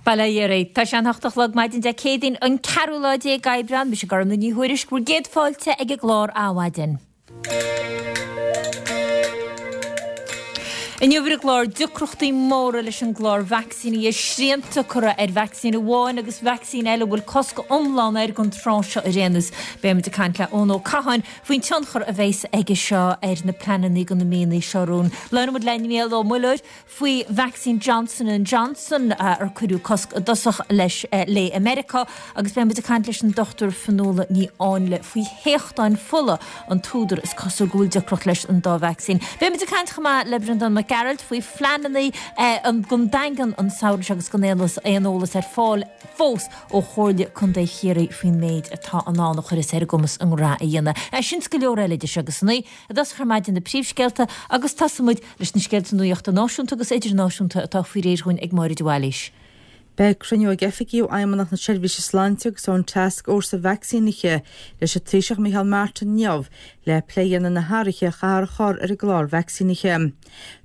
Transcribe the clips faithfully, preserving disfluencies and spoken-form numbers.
Bail ó Dhia oraibh. Tá sé an hocht a chlog maidin Dé Céadaoin an ceathrú lá déag Aibreán, mise Gormfhlaith Ní Thuairisg, bhur gcéad fáilte ag an gclár Adhmhaidin. Inniu ar an gclár, deacrachtaí móra leis an gclár vacsaíní, srianta curtha ar vacsaín amháin agus vacsaín eile a bhfuil cosc iomlán air don tráth seo ar aon nós. Beidh muid ag caint le Eoin Ó Catháin faoin tionchar a bheas aige seo ar na pleananna do na míonna seo romhainn. Labhróidh muid le Niall Ó Muilleoir faoi vacsaín Johnson and Johnson ar cuireadh cosc i dtosach leis léi i Meiriceá agus beidh muid ag caint leis an Dochtúir Fionnuala Ní Áinle faoi théachtáin fola, an t-údar is cosúil go bhfuil deacracht leis an dá vacsaín. Beidh muid ag caint chomh maith le Breandán Mac Gearailt faoi phleananna don Daingean an samhradh seo agus gan aon eolas ar fáil fós ó Chomhairle Contae Chiarraí faoin méid atá i ndán a chuirfeas ar a gcumas a ngnó a dhéanamh. Sin is go leor eile idir seo agus a naoi i dtosach ar maidin na príomhscéalta agus tosóidh muid leis na scéalta nuachta náisiúnta agus idirnáisiúnta atá faoi réir dhúinn ag Máire de Bhailís. Beidh cruinniú ag oifigigh ó Fheidhmeannacht na Seirbhíse Sláinte agus ón Tascfhórsa Vacsaínithe leis an Taoiseach Micheál Martin inniu le plé a dhéanamh ar na hathruithe a chaithfear a chur ar an gclár vacsaínithe.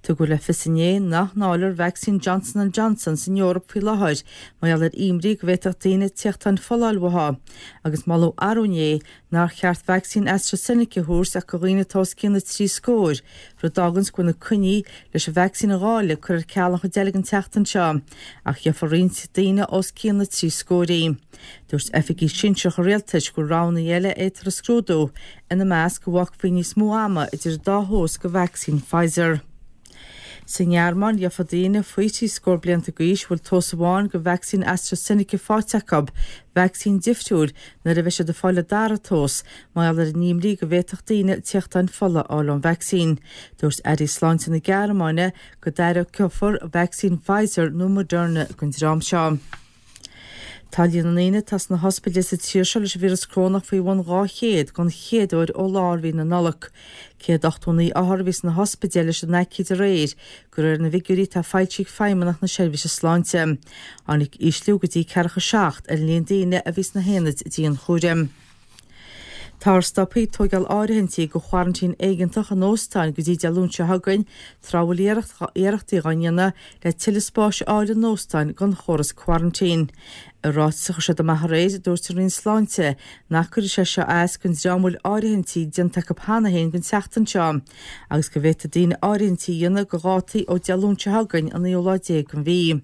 Tugadh le fios inné nach ndáilfear vacsaín Johnson and Johnson san Eoraip faoi láthair mar gheall ar imní go bhféadfadh daoine téachtáin fola a fháil uathu agus moladh arú inné nár cheart vacsaín AstraZeneca a thabhairt ach do dhaoine atá os cionn na trí scór, rud a fháganns go bhfuil na coinní leis an vacsaín a dháileadh curtha ar ceal an chuid eile den tseachtain seo, ach gheofar roinnt daoine os cionn na trí scór í. Dúirt oifigigh sinsearacha rialtais go bhfuil roghanna eile a fhéadfar a scrúdú, ina measc go bhfágfaí níos mó ama idir an dá thomhas de vacsaín Pfizer. Sa nGearmáin, gheofa daoine faoi thrí scór blianta d'aois a bhfuil tomhas amháin de vacsaín AstraZeneca faighte acu, vacsaín difriúil nuair a bheidh siad ag fáil a dara tomhas, mar gheall ar an imní go bhféadfadh daoine téachtáin fola a fháil ón vacsaín. Dúirt airí sláinte na Gearmáine go dtairgfear vacsaín Pfizer nó Moderna don dream seo. Tá líon na ndaoine atá sna hospidéil sa tír seo leis an víreas corónach faoi bhun dhá chéad don chéad uair ó lár mhí na Nollag. céad ochtó naoi othar a bhí sna hospidéil leis an aicíd aréir, de réir na bhfigiúirí atá foilsithe ag Feidhmeannacht na Seirbhíse Sláinte. Tháinig ísliú go dtí ceathracha seacht ar an líon daoine a bhí sna haonaid dianchúraim. Táthar stoptha ag tóigeáil áirithintí do choraintín éigeantach in óstáin go dtí Dé Luain seo chugainn, tráth a bhfuil iarrachtaí á ndéanamh le tuilleadh spáis a fháil in óstáin don chóras coraintín. I ráiteas a chuir siad amach aréir, dúirt an Roinn Sláinte nach gcuirfidh sé seo as don dream a bhfuil áirithintí déanta acu cheana féin don tseachtain seo agus go bhféadfaidh daoine áirithintí a dhéanamh do dhátaí ó Dé Luain seo chugainn an naoú lá déag den mhí.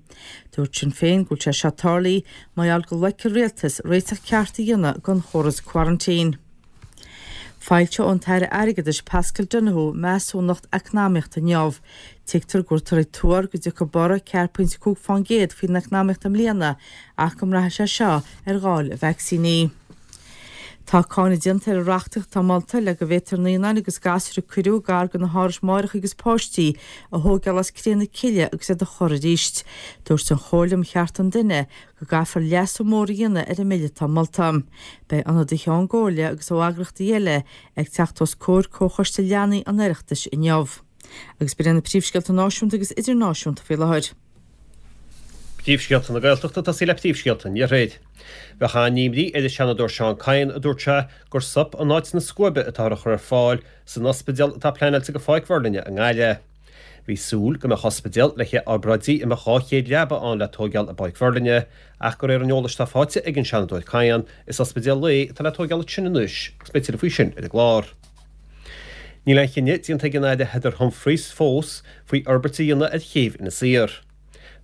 Dúirt Sinn Féin go bhfuil sé seo tarlaithe mar gheall go loic an rialtas réiteach ceart a dhéanamh don chóras coraintín. Foilseoidh an tAire Airgeadais Paschal Donohoe measúnacht eacnamaíochta inniu. Tuigtear go bhfuiltear ag tuar go dtiocfaidh borradh ceathair pointe cúig fán gcéad faoin eacnamaíocht i mbliana ach go mbraithfidh sé seo ar dháileadh vacsaíní. Tá cáineadh déanta ar an reachtaíocht atá molta le go bhféadfar naíonáin agus gasúir a cuireadh gar do na hárais máithreacha agus páistí a thógáil as cré na cille agus iad a chur arís. Dúirt an Chomhairle um Chearta an Duine go gcaithfear leasú mór a dhéanamh ar an mbille atá molta. Beidh ionadaithe ón gComhairle agus ó eagraíochtaí eile ag teacht os comhair Comhchoiste Leanaí an Oireachtais inniu. Agus b'in iad na príomhscéalta náisiúnta agus idirnáisiúnta faoi láthair. Príomhscéalta na Gaeltachta ag tosaí le príomhscéalta an Iarthair. Bheadh an-imní ar an Seanadóir Seán Kyne, a dúirt sé, gur sop in áit na scuaibe atáthar a chur ar fáil san ospidéal atá pleanáilte do Pháirc Mheirlinne i nGaillimh. Bhí súil go mbeadh ospidéal le haghaidh obráidí a mbeadh dhá chéad leaba ann le tóigeáil i bPáirc Mheirlinne ach de réir an eolais atá faighte ag an Seanadóir Kyne, is ospidéal lae atá le tóigeáil ansin anois agus beidh tuilleadh faoi sin ar an gclár. Níl aon chinneadh déanta ag an Aire Heather Humphreys fós faoi fhorbairt a dhéanamh ar chéibh Inis Oírr.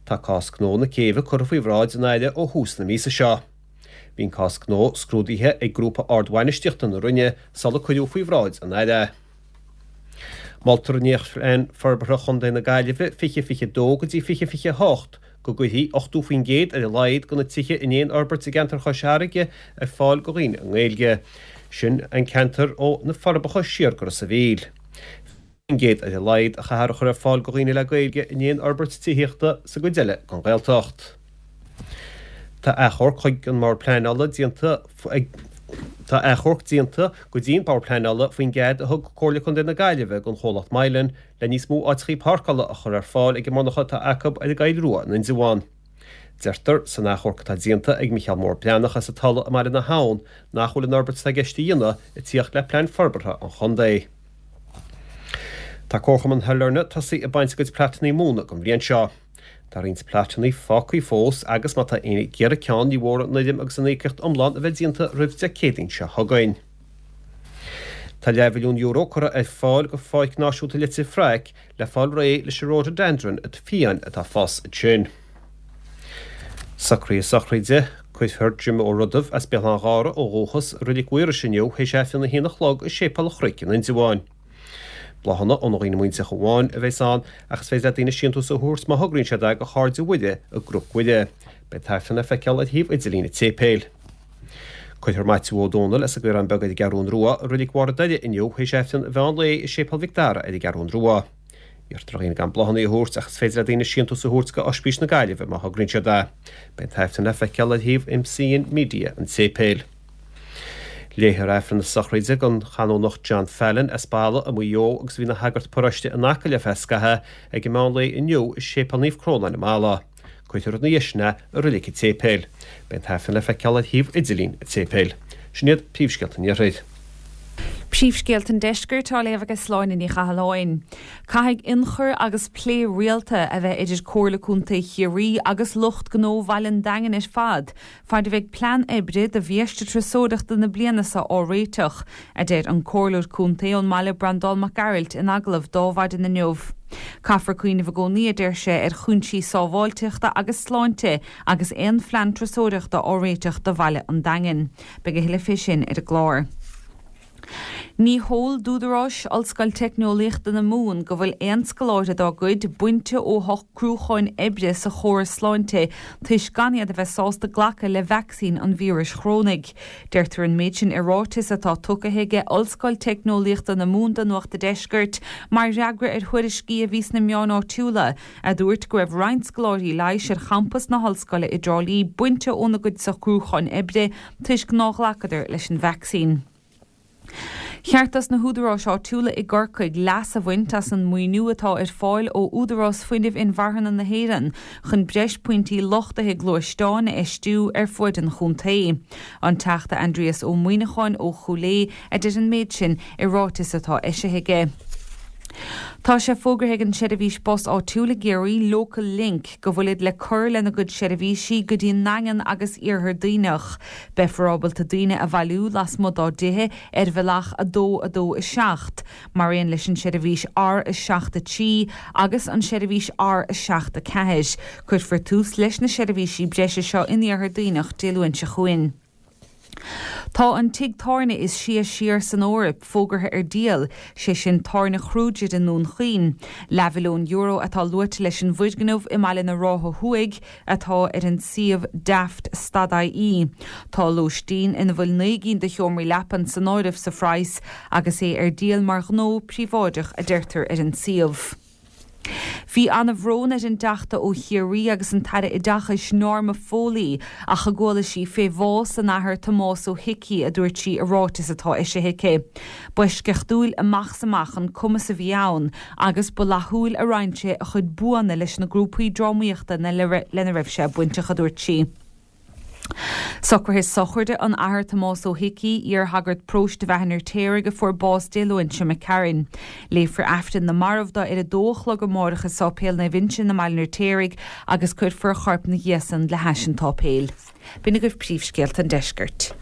Tá cás gnó na céibhe curtha faoi bhráid an Aire ó thús na míosa seo. Bhí an cás gnó scrúdaithe ag grúpa ardbhainistíochta na Roinne sular cuireadh faoi bhráid an Aire é. Moltar i nDréachtphlean Forbartha Chontae na Gaillimhe fiche fiche dó go dtí fiche fiche a hocht go gcuirfí ochtó faoin gcéad ar a laghad de na tithe in aon fhorbairt i gceantar Chois Fharraige ar fáil do dhaoine i nGaeilge. Sin an ceantar ó na Forbacha siar go Ros a' Mhíl. faoin gcéad ar a laghad a chaithfear a chur ar fáil do dhaoine le Gaeilge in aon fhorbairt tithíochta sa gcuid eile den Ghaeltacht. Tá achomharc chuig an mBord Pleanála déanta ag Tá achomharc déanta go dtí an Bord Pleanála faoin gcead a thug Comhairle Contae na Gaillimhe don chomhlacht Mylan le níos mó áiteachaí páirceála a chur ar fáil ag an monarcha atá acu ar an gCoill Rua in Indreabhán. Deirtear san achomharc atá déanta ag Micheál Mór Breathnach as an Tulaigh i mBaile na hAbhann nach bhfuil an fhorbairt atá i gceist a dhéanamh ag tíocht le plean forbartha an chontae. Tá Comharchumann Shailearna tosaithe ag baint a gcuid platannaí móna don bhliain seo. Tá roinnt plátanna fágtha fós agus má tá éinne ag iarraidh ceann ní mór an fhoirm agus an íocaíocht iomlán a bheith déanta roimh Dé Céadaoin seo chugainn. Tá leathmhilliún euro curtha ar fáil go Pháirc Náisiúnta Leitir Fraic le fáil réidh leis an rhododendron fiáin atá ag fás ansin. Socruithe sochraide, Cuirfear Jim Ó Rudaimh as Béal Átha an Ghárdha ó dhúchas i Reilig Mhaorais inniu théis Aifreann a haon a chlog i Séipéal an Chnoic in Indreabhán. Bláthanna ó na dhaoine muinteartha amháin a bheas ann ach is féidir le daoine síntiús a thabhairt má thograíonn siad é go Chairde Mhuire i gCnoc Mhuire. Beidh an t-aifreann le feiceáil ar shuíomh idirlín an tséipéil. Cuirfear Maitiú Ó Dónaill as an gCaorán Beag ar an gCeathrún Rua i Reilig Bharr an Doire inniu théis Aifreann an mheán lae i Séipéal Mhic Dara ar an gCeathrún Rua. Iarrtar ar dhaoine gan bláthanna a thabhairt ach is féidir le daoine síntiús a thabhairt go Ospís na Gaillimhe má thograíonn siad é. Beidh an t-aifreann le feiceáil ar shuíomh MCN Media an tséipéil. Léifear Aifreann na sochraide don Chanónach John Fallon as Balla i Maigh Eo agus a bhí ina shagart paróiste in Acaill ar feadh scaithimh ag an meán lae inniu i Séipéal Naomh Crónán i mBalla. Cuirfear ina dhiaidh sin é i Reilig an tSéipéil. Beidh an t-aifreann le feiceáil ar shuíomh idirlín an tséipéil. Sin iad príomhscéalta an Iarthair. Príomhscéalta an Deiscirt á léamh ag Sláine Ní Chathalláin. Caithfidh ionchur agus plé rialta a bheith idir Comhairle Contae Chiarraí agus lucht gnó Bhaile an Daingin ar fad, fad a bheidh plean oibre do bhiaiste turasóireachta na bliana seo á réiteach, a deir an Comhairleoir Contae ón mbaile Breandán Mac Gearailt in agallamh dó Adhmhaidin inniu. Caithfear cuimhneamh i gcónaí, a deir sé, ar chúinsí sábháilteachta agus sláinte agus aon phlean turasóireachta á réiteach do Bhaile an Daingin. Beidh a thuilleadh fé sin ar an gclár. Ní heol d'údaráis Ollscoil Teicneolaíochta na Mumhan go bhfuil aon scoláire dá gcuid bainte ó shocrúcháin oibre sa chóras sláinte toisc gan iad a bheith sásta glacadh le vacsaín an víris chorónaigh. Deirtear an méid sin i ráiteas atá tugtha aige Ollscoil Teicneolaíochta na Mumhan do Nuacht an Deiscirt mar fhreagra ar thuairiscí a bhí sna meáin áitiúla a dúirt go raibh roinnt scoláirí leighis ar champas na hollscoile i dTrá Lí bainte óna gcuid socrúcháin oibre toisc nár ghlacadar leis an vacsaín. Cheart dos na húdaráis áitiúla i gCorcaigh leas a bhaint as an maoiniú atá ar fáil ó Údarás Fuinnimh Inmharthana na hÉireann chun breis pointí luchtaithe gluaisteáin a fheistiú ar fuaid an chontae. An Teachta Aindrias Ó Muimhneacháin ó Chúil Aodha a deir an méid sin i ráiteas atá eisithe aige. Tá sé fógartha ag an seirbhís bus áitiúil i gCiarraí, Local Link, go bhfuilid le cur lena gcuid seirbhísí go dtí an nDaingean agus Iarthar Duibhneach. Beifear ábalta daoine a bhailiú lasmuigh dá dtithe ar bhealach a dó a dó a seacht, mar aon leis an seirbhís R a seacht a trí agus an seirbhís R a seacht a ceathair. Cuirfear tús leis na seirbhísí breise seo in Iarthar Duibhneach Dé Luain seo chugainn. Tá an tigh tábhairne is sia siar san Eoraip fógartha ar díol, sé sin Tábhairne Kruger i nDún Chaoin. Leathmhilliún euro atá luaite leis an bhfoirgneamh i mBaile na Rátha Thuaidh atá ar an suíomh daft stad-ie. Tá lóistín ina bhfuil naoi gcinn de sheomraí leapan san áireamh sa phraghas agus é ar díol mar ghnó príobháideach a deirtear ar an suíomh. Bhí an-bhrón ar an dTeachta ó Chiarraí agus an tAire Oideachais Norma Foley ach a gcuala sí fé bhás an Athar Tomás Ó hIcí, a dúirt sí i ráiteas atá eisithe aici. B'eisceachtúil amach is amach an cumas a bhí ann agus ba fhlaithiúil a roinn sé a chuid buanna leis na grúpaí drámaíochta lena raibh sé bainteach, a dúirt sí. Socruithe sochraide an Athar Tomás Ó hIcí, iar-shagart paróiste Bheatha an Fheirtéaraigh a fuair bás Dé Luain seo imigh tharainn. Léifear Aifreann na Marbh dó ar a dó a chlog amárach i Sáipéal Naomh Uinseann i mBaile an Fheirtéaraigh agus cuirfear a chorp ina dhiaidh san le hais an tsáipéil. B'in agaibh príomhscéalta an deiscirt.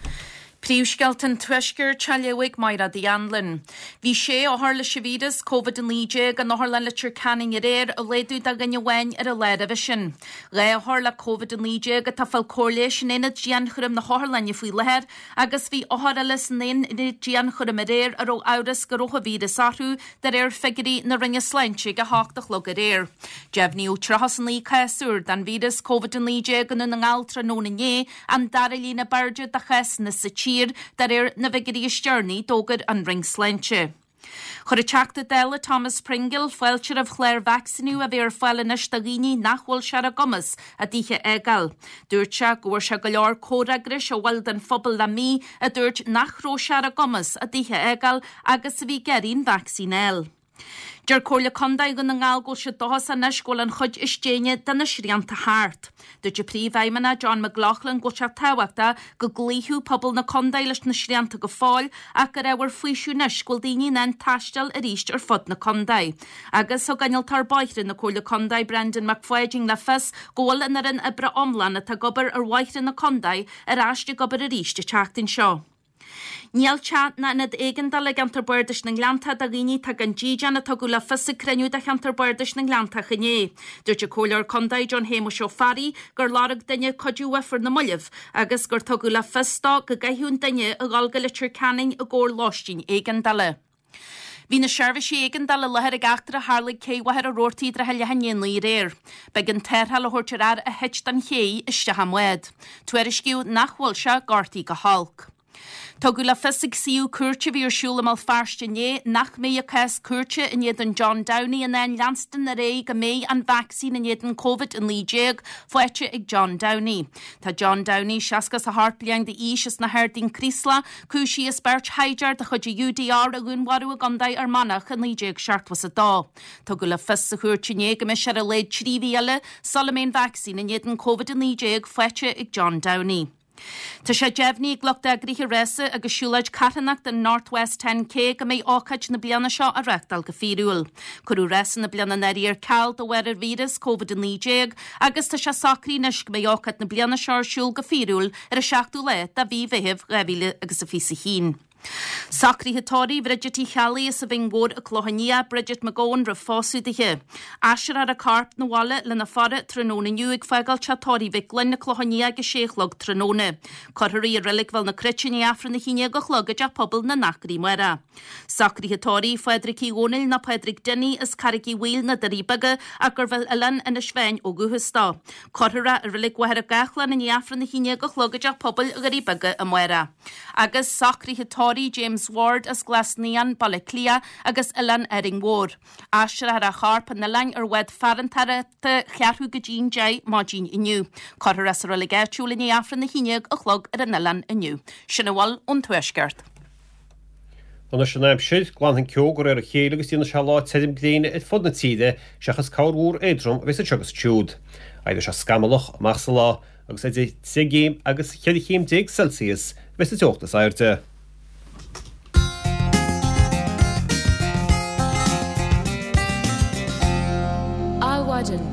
Príomhscéalta an Tuaiscirt á léamh ag Mairéad Uí Anluain. Bhí sé othar leis an víreas Covid a naoi déag in Otharlann Leitir Ceanainn aréir, i laghdú de dhuine amháin ar an lá roimhe sin. Dhá othar le Covid a naoi déag atá ag fáil cóir leighis in aonad dianchúraim na hotharlainne faoi láthair agus bhí othar eile san aonad dianchúraim aréir a raibh amhras go raibh an víreas orthu, de réir figiúirí na Roinne Sláinte ag a hocht a chlog aréir. Deimhníodh tríocha is a naoi cás úr den víreas Covid a naoi déag i nDún na nGall tráthnóna inné, An dara líon ab airde de chásanna sa tír, de réir na bhfigiúirí is deireanaí, d'fhógair an Roinn Sláinte. Chuir an Teachta Dála Thomas Pringle fáilte roimh chlár vacsaíniú a bheidh ar fáil anois do dhaoine nach bhfuil sé ar a gcumas a dtithe a fhágáil. Dúirt sé go bhfuair sé go leor comhfhreagrais ó bhaill den phobal le mí a dúirt nach raibh sé ar a gcumas a dtithe a fhágáil agus a bhí ag iarraidh an vacsaín a fháil. Deir Comhairle Contae Dhún na nGall go bhfuil siad dóchasach anois go bhfuil an chuid is déine de na srianta thart. Dúirt an Príomhfheidhmeannach John McLaughlin go bhfuil sé tábhachtach go gcloífeadh pobal na contae leis na srianta go fóill ach gur ábhar faoisimh anois go bhfuil daoine in ann taisteal arís ar fud na contae. Agus thug innealtóir bóithre na Comhairle Contae Brendan McFadyen le fios go bhfuil an fhoireann oibre iomlán atá ag obair ar bhóithre na contae ar ais ag obair arís an tseachtain seo. Níl teach ná ionad éigeandála i gceantar Bardais na nGleanntach do dhaoine atá gan dídean a tugadh le fios ag cruinniú de cheantar Bardais na nGleanntach inné. Dúirt an Comhairleoir Contae John Shéamuis Ó Fearraigh gur lorg duine cuidiú uaidh ar na mallaibh agus gur tugadh le fios dó go gcaithfeadh an duine a dhul go Leitir Ceanainn i gcomhair lóistín éigeandála. Bhí na seirbhísí éigeandála i láthair ag eachtra a tharla ag Cé Mhachaire Rabhartaigh i dtrátha leath i ndiaidh a naoi aréir. B'éigean tarrtháil a thabhairt ar fhear a thit den ché isteach i mbád. Tuairiscíodh nach bhfuil sé gortaithe go holc. Tugadh le fios ag suíomh cúirte a bhí ar siúl i mBéal Feirste inné nach mbeidh a cás cúirte in éadan John Downey in ann leanstan ar aghaidh go mbeidh an vacsaín in éadan Covid a naoi déag faighte ag John Downey. Tá John Downey, seasca is a hocht bliain d'aois as na hArdaí Creeslough, cúisithe as beirt shaighdiúir de chuid an U D R a dhúnmharú i gContae Fhear Manach i naoi déag seachtó is a dó. Tugadh le fios sa chúirt inné go mbeidh sé ar a laghad trí mhí eile sula mbeidh an vacsaín in éadan Covid a naoi déag faighte ag John Downey. Tá sé deimhnithe ag lucht eagraithe rása agus siúlóid carthanachta an North West Ten K go mbeidh ócáid na bliana seo á reáchtáil go fíorúil. Cuireadh rása na bliana anuraidh ar ceal de bharr an víreas Covid a naoi déag agus tá sé socraithe anois go mbeidh ócáid na bliana seo ar siúl go fíorúil ar an seachtú lá de mhí Mheithimh dhá mhíle agus a fiche a haon. Socruithe tórraimh Bhridget Uí Cheallaigh as an Bhinn Mhór i gCloich Cheann Fhaola, Bridget McGowan roimh phósadh dithe. Aistreofar a corp 'na bhaile lena faire tráthnóna inniu ag fágáil teach tórraimh Mhic Gloinn i gCloich Cheann Fhaola ag a sé a chlog tráthnóna. Cuirfear í i Reilig Bhéal na Cruite i ndiaidh Aifreann a haon déag a chlog i dteach pobail na nAcraí amárach. Socruithe tórraimh Phádraig Uí Dhónaill nó Pádraig Dinny as Carraig Uí Bhaoill na Doirí Beaga ach gurbh as Oileán Inis Mheáin ó dhúchas dó. Cuirfear é i Reilig Mhachaire Gathlán i ndiaidh Aifreann a haon déag a chlog i dteach pobail Dhoirí Beaga amárach. Agus socruithe tórraimh James Ward as Glas Naíon, Baile Átha Cliath agus Oileán Árainn Mhór. Aistreofar a chorp chun an oileáin ar bhád farantóireachta cheathrú go dtí'n deich maidin inniu. Cuirfear é sa reilig áitiúil i ndiaidh Aifreann a haon déag a chlog ar an oileán inniu. Sin a bhfuil ón Tuaisceart. Anois an aimsir, glanfaidh an ceo de réir a chéile agus déanfaidh sé lá tirim gréine ar fud na tíre seachas corrmhúr éadrom a bheas anseo agus ansiúd. Éireoidh sé scamallach amach sa lá agus idir trí chéim agus cheithre chéim déag Celsius a bheas an teocht is airde. Adhmhaidin.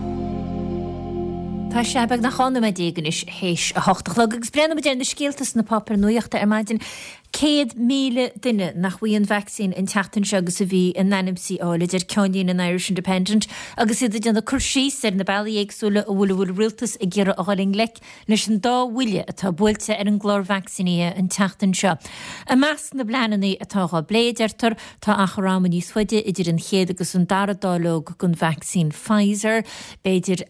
Tá sé beagnach dhá nóiméad déag anois théis a hocht a chlog agus breathnóimid ar na scéalta sna páipéir nuachta ar maidin. Céad míle duine nach bhfaighidh an vacsaín an tseachtain seo agus a bhí in ainm is í a fháil, a deir ceannlíne an Irish Independent agus iad ag déanamh cur síos ar na bealaí éagsúla a bhfuil a bhfuil rialtas ag iarraidh a dhul i ngleic leis an dá bhuille atá buailte ar an gclár vacsaínithe an tseachtain seo. I measc na bpleananna atá á bplé, deirtear, tá achar ama níos faide idir an chéad agus an dara dáileog den vacsaín Pfizer, b'fhéidir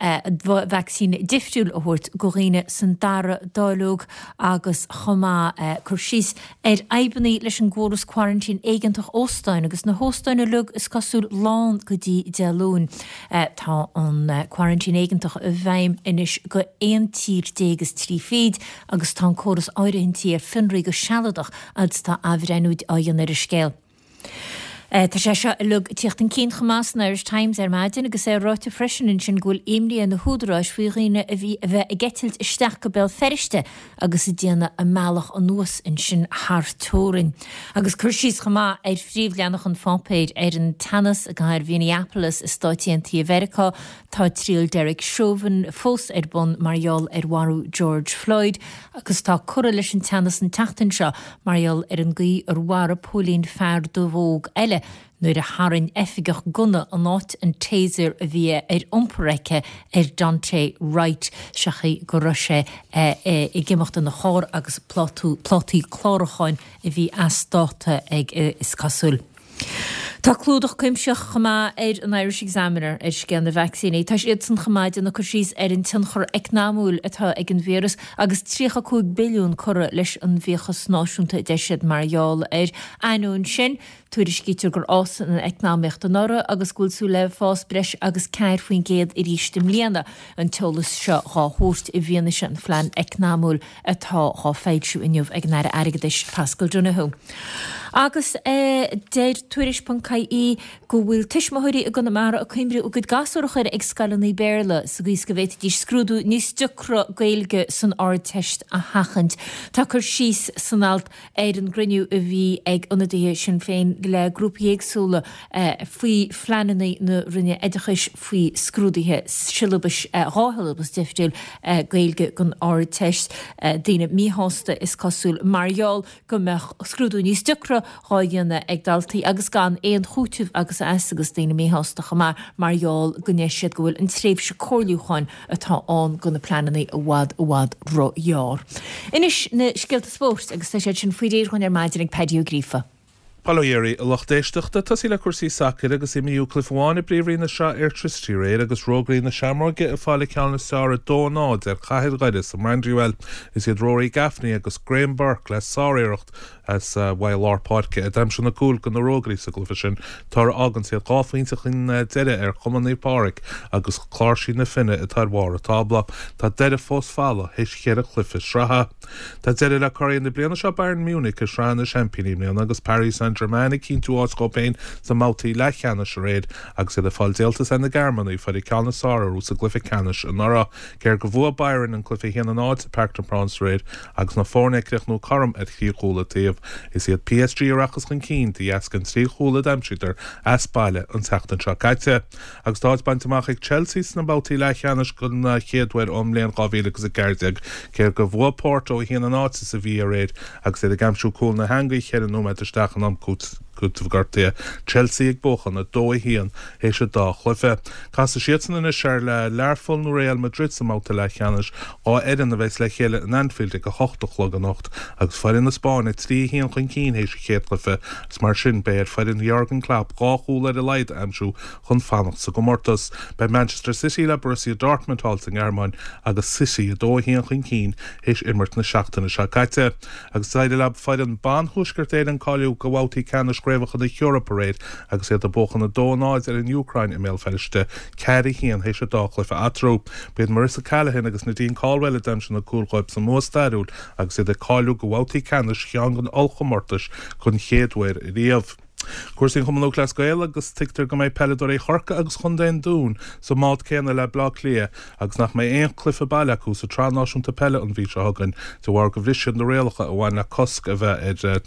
vacsaín difriúil a thabhairt do dhaoine san dara dáileog agus chomh maith cur síos ar fhadhbanna leis an gcóras quarantine éigeantach óstáin agus na hóstáin uilig is cosúil lán go dtí Dé Luain. Tá an quarantine éigeantach i bhfeidhm anois go aon tír déag is trí fichid agus tá an córas áirithintí ar fionraí go sealadach agus tá athbhreithniú á dhéanamh ar an scéal. Tá sé seo uilig ag tíocht chun cinn chomh maith san Irish Times ar maidin agus é ráite freisin ansin go bhfuil imní ar na húdaráis faoi dhaoine a bhí a bheith ag eitilt isteach go Béal Feirste agus ag déanamh a mbealach anuas ansin thar teorainn. Agus cur síos chomh maith ar phríomhleathanach an pháipéir ar an teannas i gcathair Mhinneapolis i Stáit Aontaithe Mheiriceá. Tá triail Derek Chauvin fós ar bun mar gheall ar mharú George Floyd agus tá curtha leis an teannas an tseachtain seo mar gheall ar an gcaoi ar mharaigh póilín fear dubh óg eile nuair a tharraing oifigeach gunna in áit an taser a bhí ar iompar aici ar Daunte Wright seachas go raibh sé ag imeacht ina charr agus plátaí clárúcháin a bhí as dáta aige is cosúil. Tá clúdach cuimsitheach chomh maith ar an Irish Examiner ar scéal na vacsaíní. Tá siadsan chomh maith ag déanamh cur síos ar an tionchar eacnamúil atá ag an víreas agus tríocha cúig billiún curtha leis an bhfiachas náisiúnta a deir siad mar gheall air. Ainneoin sin, Tuairiscítear gur fhás an eacnamaíocht anuraidh agus go bhfuil súil le fás breis agus ceathair faoin gcéad arís i mbliana. An t-eolas seo dhá thabhairt i bhfianaise an phlean eacnamúil atá dhá foilsiú inniu ag an Aire Airgeadais Paschal Donohoe. Agus deir Tuairisc ponc ie go bhfuil tuismitheoirí i gConamara ag cuimriú a gcuid gasúr a chur ag scoileanna Béarla sa gcaoi is go bhféadfaidís scrúdú níos deacra Gaeilge san Ardteist a sheachaint. Tá cur síos san alt ar an gcruinniú a bhí ag ionadaithe Sinn Féin le grúpaí éagsúla faoi phleananna na Roinne Oideachais faoi scrúduithe siollabais, dhá shiollabas difriúil Gaeilge don Ardteist. Daoine míshásta is cosúil mar gheall go mbeadh scrúdú níos deacra dhá dhéanamh ag daltaí agus gan aon chúiteamh agus as agus daoine míshásta chomh maith mar gheall go ndeir siad go bhfuil an tréimhse comhairliúcháin atá ann do na pleananna i bhfad i bhfad ró-ghearr. Anois na scéalta spóirt agus tá siad sin faoi réir dhúinn ar maidin ag Paddy Ó Gríofa. Bail ó Dhia oraibh, a lucht éisteachta, tosaí le cúrsaí sacair agus imríodh cluiche amháin i bPríomhroinn na Sraithe Airtricity aréir agus Rógairí na Seamróige ag fáil an ceann is fearr a dó a náid ar Chathair Dhoire sa mBrandywell. Is iad Rory Gaffney agus Graham Burke le sáriarracht as uaidh lár páirce a d'aimsigh na cúil do na Rógairí sa gcluiche sin. Toradh a fháganns iad dhá phointe chun deiridh ar Chumann Naomh Pádraig agus Cláirsigh na Finne atá ar bharr an tábla. Tá Doire fós folamh théis cheithre chluiche sraithe. Tá deireadh le curaidh na bliana seo Bayern Munich i Sraith na Seaimpíní i mbliana agus Paris Saint-Germain ag cinntiú áit dhóibh féin sa mbabhtaí leathcheannais aréir agus iad ag fáil díoltas ar na Gearmánaigh a fuair an ceann is fearr orthu sa gcluiche ceannais anuraidh. Cé gur bhuaigh Bayern an cluiche a haon a náid sa Parc des Princes aréir agus na foirne ag críochnú cothrom ar thrí chúl an taobh, is iad P S G a rachas chun cinn de dheasca an trí chúl a d'aimsíodar as baile an tseachtain seo caite. Agus tá áit bainte amach ag Chelsea sna babhtaí leathcheannais don chéad uair ón mbliain dhá mhíle agus a ceathair déag, cé gur bhuaigh Porto a haon a náid sa Sevilla aréir agus iad ag aimsiú cúl na heangaí cheithre nóiméad isteach in am cúitimh gortaithe. Chelsea ag buachan a dó a haon théis an dá chluiche. Casfaidh siadsan anois ar le Learpholl nó Real Madrid sa mbabhta leathcheannais, dhá fhoireann a bheas le chéile in Anfield ag a hocht a chlog anocht agus foireann na Spáinne trí a haon chun cinn théis an chéad chluiche agus mar sin beidh ar foireann Jurgen Klopp dhá chúl ar a laghad a aimsiú chun fanacht sa gcomórtas. Beidh Manchester City le Borussia Dortmund thall sa nGearmáin agus City a dó a haon chun cinn théis imirt na seachtaine seo caite. Agus d'éirigh le foireann ban Thuaisceart Éireann cáiliú go babhtaí ceannais Chraobhacha na hEorpa aréir agus iad ag buachan a dó a náid ar an Úcráin i mBéal Feirste, ceathair a haon théis an dá chluiche eatarthu. B'iad Marissa Callaghan agus Nadine Caldwell a d'aimsigh na cúil dhóibh sa mbua stairiúil agus iad ag cáiliú go babhtaí ceannais cheann de na hollchomórtais don chéad uair riamh. Cúrsaí an Chumann Lúthchleas Gael agus tuigtear go mbeidh peileadóirí Chorcaí agus Chontae an Dúin sa mbád céanna le Bleá Cliath agus nach mbeidh aon chluiche baile acu sa tSraith Náisiúnta Peile an mhí seo chugainn de bharr go bhris siad na rialacha a bhain le cosc a bheith ar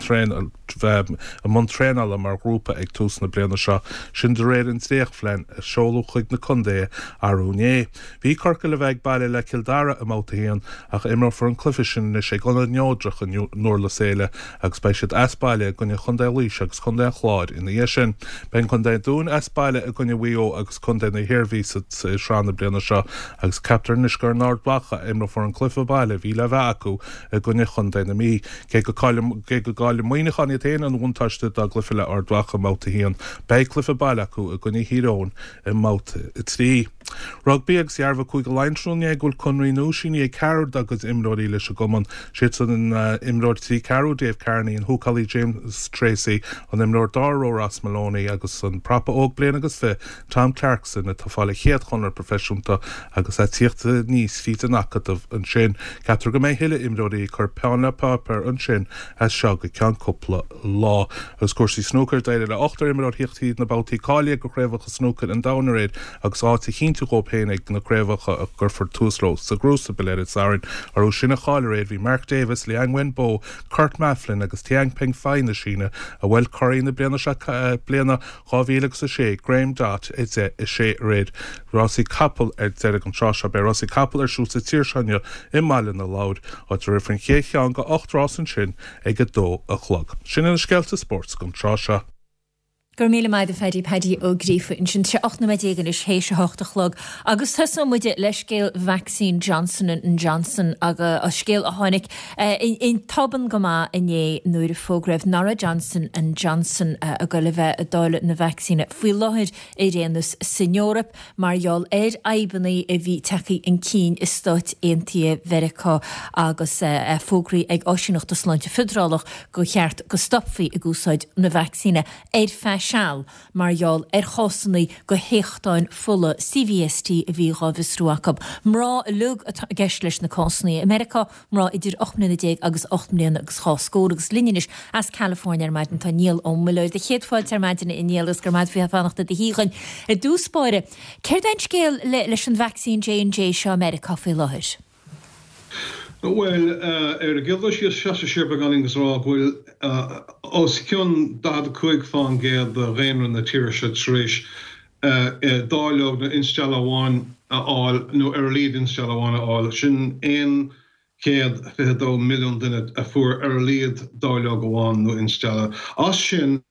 bheith i mbun traenála mar ghrúpa ag tús na bliana seo, sin de réir an dréachtphlean a seoladh chuig na contaetha arú inné. Bhí Corcaigh le bheith ag baile le Cill Dara i mbabhta a haon ach imreofar an cluiche sin anois ag Ionad Neodrach i nDurlas Éile agus beidh siad as baile i gcoinne Chontae Laoise agus Chontae an Chláir ina dhiaidh sin. Beidh Contae an Dúin as baile i gcoinne Mhaigh Eo agus Contae na hIarmhí sa sraith na bliana seo agus ceaptar anois gur in Ard Mhacha a imreofar an cluiche baile a bhí le bheith acu i gcoinne Chontae na Mí. Cé go gcaillfidh Muineachán iad féin an bhuntáiste dá gcluiche le Ard Mhacha i mbabhta a haon, beidh cluiche baile acu i gcoinne Thír Eoghain i mbabhta a trí. Rugbaí agus dhearbhaigh Cúige Laighean tráthnóna inné go bhfuil conraí nua sínithe ag ceathrar dá gcuid imreoirí leis an gcumann. Siad san an imreoir trí ceathrú Dave Kearney, an húcálaí James Tracy, an imreoir dara ró Ross Molony agus an prapa óg bliain agus fiche Tom Clarkson atá ag fáil a chéad chonradh proifisiúnta agus é ag tíocht aníos fríd an acadamh ansin. Ceaptar go mbeidh thuilleadh imreoirí ag cur peann le páipéar ansin as seo go ceann cúpla lá. Agus cúrsaí snúcair, d'éirigh le ochtar imreoir thíocht tríd na babhtaí cáilithe go Craobhacha Snúcair an Domhain aréir agus áit a chinntiú dhóibh féin ag na craobhacha a gcuirfear tús leo sa gCrucible ar an Satharn. Orthu sin a cháiligh aréir bhí Mark Davis, Liang Wenbo, Kurt Maflin agus Tian Pengfei na Síne a bhuail curaidh na bliana seo bliana dhá mhíle agus a sé, Graeme Dott, a deich a sé aréir. Rásaí capall ar deireadh an tráth seo. Beidh rásaí capall ar siúl sa tír seo inniu i mBaile na Lobhar, áit a rithfear an chéad cheann de ocht rás ansin ag a dó a chlog. Sin iad na scéalta spóirt don tráth seo. Go raibh míle maith agat a Phaddy, Paddy Ó Gríofa ansin. Tá sé ocht nóiméad déag anois théis a hocht a chlog agus tosóidh muid le scéal vacsaín Johnson and Johnson agus scéal a tháinig in tobann go maith inné nuair a fógraíodh nach raibh Johnson and Johnson ag goil a bheith ag dáileadh na vacsaíne faoi láthair ar aon nós san Eoraip mar gheall ar fhadhbanna a bhí tagtha chun cinn i Stáit Aontaithe Mheiriceá agus fógraí ag Áisíneacht Sláinte Feidearálach gur cheart go stopfaí ag úsáid na vacsaíne ar feadh seal mar gheall ar chásanna de théachtáin fola C V S T a bhí dhá bhfiosrú acu. Mná uilig atá i gceist leis na cásanna i Meiriceá, mná idir ocht mbliana déag agus ocht mbliana agus dhá scór agus linn anois as California ar maidin tá Niall Ó Muilleoir. Céad fáilte ar maidin a Niall agus go raibh maith agat fanacht i do shuí againn. I dtús báire, céard é an scéal leis an vacsaín J and J seo i Meiriceá faoi láthair? Bhuel, ar an gcéad dul síos, seasamh siar beagáinín agus rá go bhfuil os cionn daichead a cúig faoin gcéad de dhaonra na tíre seo tar éis dáileog nó instealladh amháin a fháil nó ar a laghad instealladh amháin a fháil. Sin aon chéad fiche dó milliún duine a fuair ar a laghad dáileog amháin nó instealladh. As sin,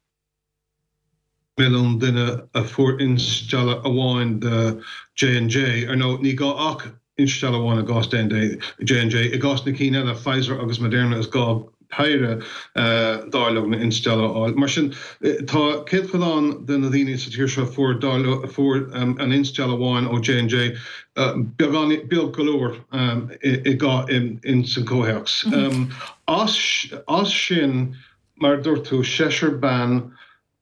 milliún duine a fuair instealladh amháin de J and J. Ar ndóigh, ní gá ach instealladh amháin i gcás J and J. I gcás na cinn eile, Pfizer agus Moderna, is gá péire dáileog nó instealladh a fháil. Mar sin, tá céatadán de na daoine sa tír seo a fuair dáileog, a fuair an instealladh amháin ó J and J beagán, beag go leor i gcás in san comhthéacs. As as sin, mar a dúirt tú, seisear ban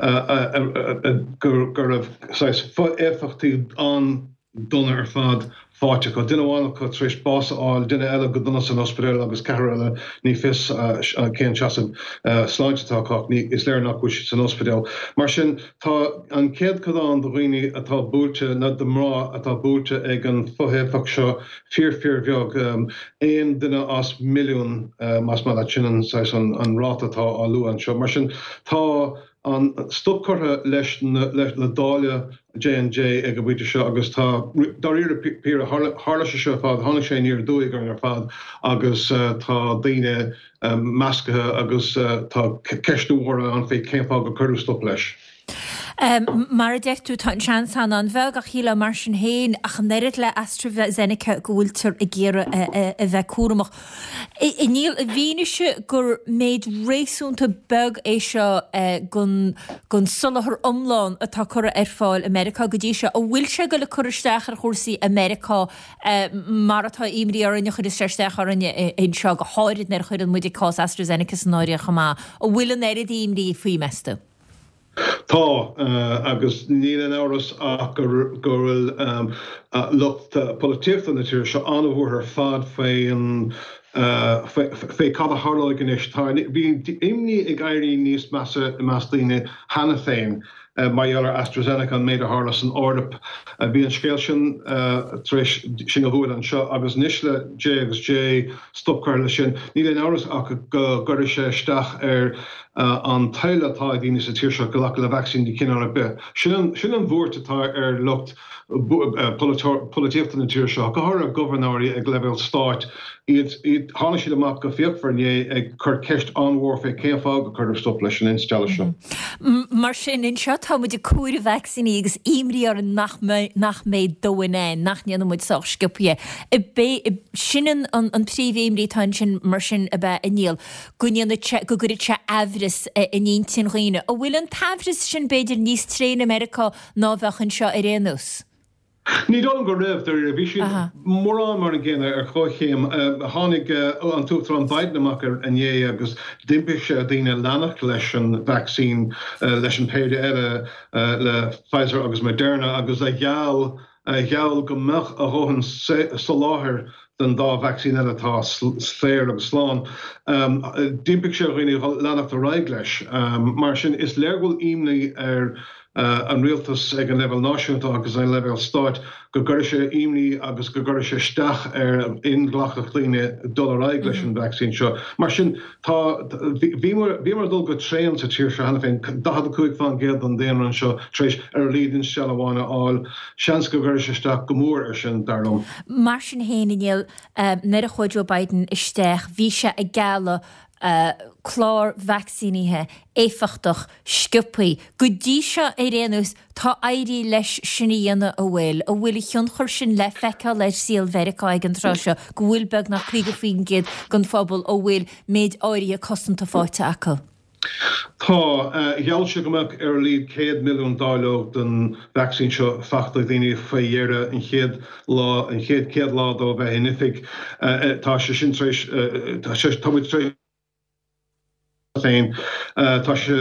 go raibh saghas fo-éifeachtaí an-dona ar fad faighte acu. Duine amháin acu tar éis bás a fháil, duine eile go dona san ospidéal agus ceathrar eile ní fios cén seasamh sláinte atá acu ach is léir nach bhfuil siad san ospidéal. Mar sin, tá an céatadán de dhaoine atá buailte, nó de mhná atá buailte ag an fo-éifeacht seo fíor fíorbheag, aon duine as milliún más maith leat, sin an saghas an ráta atá á lua anseo. Mar sin, tá an stop curtha leis le dáileadh J and J ag an bpointe seo agus tá dáiríre píre tharla sé seo ar fad, tháinig sé aniar aduaidh orainn ar fad agus tá daoine measctha agus tá ceisteanna mhóra ann faoi cén fáth gur cuireadh stop leis. Mar a deir tú, tá an seans ann an-bheag ach shílfeá mar sin féin, ach an oiread le AstraZeneca go bhfuiltear ag iarraidh a bheith cúramach. Níl i bhfianaise gur méid réasúnta beag é seo den soláthar iomlán atá curtha ar fáil i Meiriceá go dtí seo, an bhfuil sé ag goil ag cur isteach ar chúrsaí i Meiriceá mar atá imní orainn a chuireas sé isteach orainn anseo, go háirid nuair a chuireann muid cás AstraZeneca san áireamh chomh maith. An bhfuil an oiread imní faoi, meas tú? Tá, agus níl aon amhras ach go bhfuil lucht polaitíochta na tíre seo an-bhuartha ar fad faoin fé cad a tharlóidh anois. Tá bhí imní ag éirí níos measa i measc daoine cheana féin mar gheall ar AstraZeneca, an méid a tharla san Eoraip. Bhí an scéal sin tar éis sinn a bhualadh anseo agus anois le J agus J stop curtha leis sin. Níl aon amhras ach go gcuirfidh sé isteach ar an toil atá ag daoine sa tír seo glacadh le vacsaín de chineál ar bith. Sin sin an bhuairt atá ar lucht polaitíochta na tíre seo, go háirithe gobharnóirí ag leibhéal stáit. Iad tháinig siad amach go fíochmhar inné ag cur ceist an-mhór fé cén fáth gur cuireadh stop leis an instealladh seo. Mar sin anseo tá muid ag comhaireamh vacsaíní agus imní orainn nach nach mbeidh dóthain ann, nach ndéanfaidh muid sách sciobtha. Sin an an príomhimní atá ansin mar sin ab ea a Niall, go ndéanfaidh sé go gcuirfidh sé aimhreas in intinn dhaoine. An bhfuil an t-aimhreas sin b'fhéidir níos tréine i Meiriceá ná a bheadh anseo ar aon nós? Ní dóigh liom go raibh, dáiríre. Bhí siad mórán mar an gcéanna ar chomhchéim. Tháinig an tUachtarán Biden amach inné agus d'impigh sé ar dhaoine leanacht leis an vacsaín, leis an péire eile, le Pfizer agus Moderna, agus a gheall a gheall go mbeadh a dhóthain soláthair den dá vacsaín eile atá saor agus slán. D'impigh sé ar dhaoine leanacht ar aghaidh leis. Mar sin, is léir go bhfuil imní ar an rialtas ag an leibhéal náisiúnta agus an leibhéal stáit go gcuirfidh sé imní agus go gcuirfidh sé isteach ar inghlacthacht daoine dul ar aghaidh leis an vacsaín seo. Mar sin, tá bhíomar ag dul go tréan sa tír seo cheana féin, daichead a cúig faoin gcéad den daonra anseo tar éis ar a laghad instealladh amháin a fháil. Seans go gcuirfidh sé isteach go mór air sin, dar liom. Mar sin féin, a Niall, nuair a chuaigh Joe Biden isteach, bhí sé ag gealladh clár vacsaínithe éifeachtach sciobtha. Go dtí seo ar aon nós, tá éirithe leis sin a dhéanamh an bhfuil, an bhfuil a thionchar sin le feiceáil ar saol Mheiriceá ag an tráth seo, go bhfuil beagnach caoga faoin gcéad den phobal a bhfuil méid áirithe cosanta faighte acu. Tá. Gheall sé go mbeadh ar a laghad céad milliún dáileog den vacsaín seo faighte ag daoine faoi dheireadh an chéad lá, an chéad céad lá dó a bheith in oifig. Tá sé sin tar éis, tá muid tar éis féin. Tá sé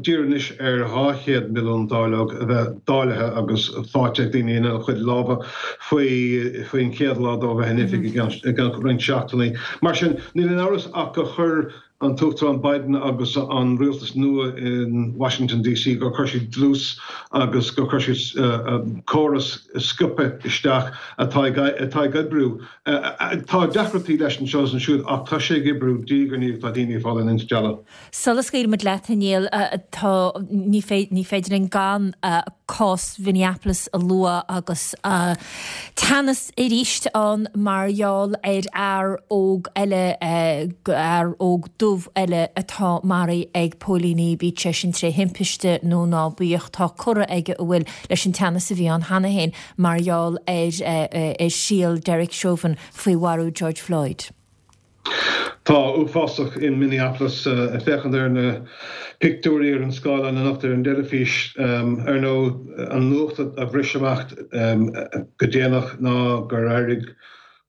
dírithe anois ar dhá chéad milliún dáileog a bheith dáilithe agus faighte ag daoine ina gcuid lámha faoi faoin chéad lá dó a bheith in oifig i gceann roinnt seachtainí. Mar sin, níl aon amhras ach gur chuir an tUachtarán Biden agus an rialtas nua in Washington DC gur chuir siad dlús agus gur chuir siad córas sciobtha isteach atá atá ag oibriú. Tá deacrachtaí leis anseo is ansiúd ach tá sé ag oibriú diaidh ar ndiaidh, tá daoine ag fáil an instealladh. Sula scaoilfimid leat, a Néill, tá, ní féidir linn gan cás Mhinneapolis a lua agus teannas arís ann mar gheall ar fhear óg eile, fear óg dubh eile atá maraithe ag póilíní, bíodh sé sin tré thimpiste nó ná bíodh, tá curtha aige an bhfuil leis an teannas a bhí ann cheana féin mar gheall ar ar thriail Derek Chauvin faoi mharú George Floyd. Tá uafásach in Minneapolis. Ag féachaint ar na pictiúirí ar an scáileán anocht ar an dteilifís, ar ndóigh, an nuacht a bhris amach go déanach ná gur éirigh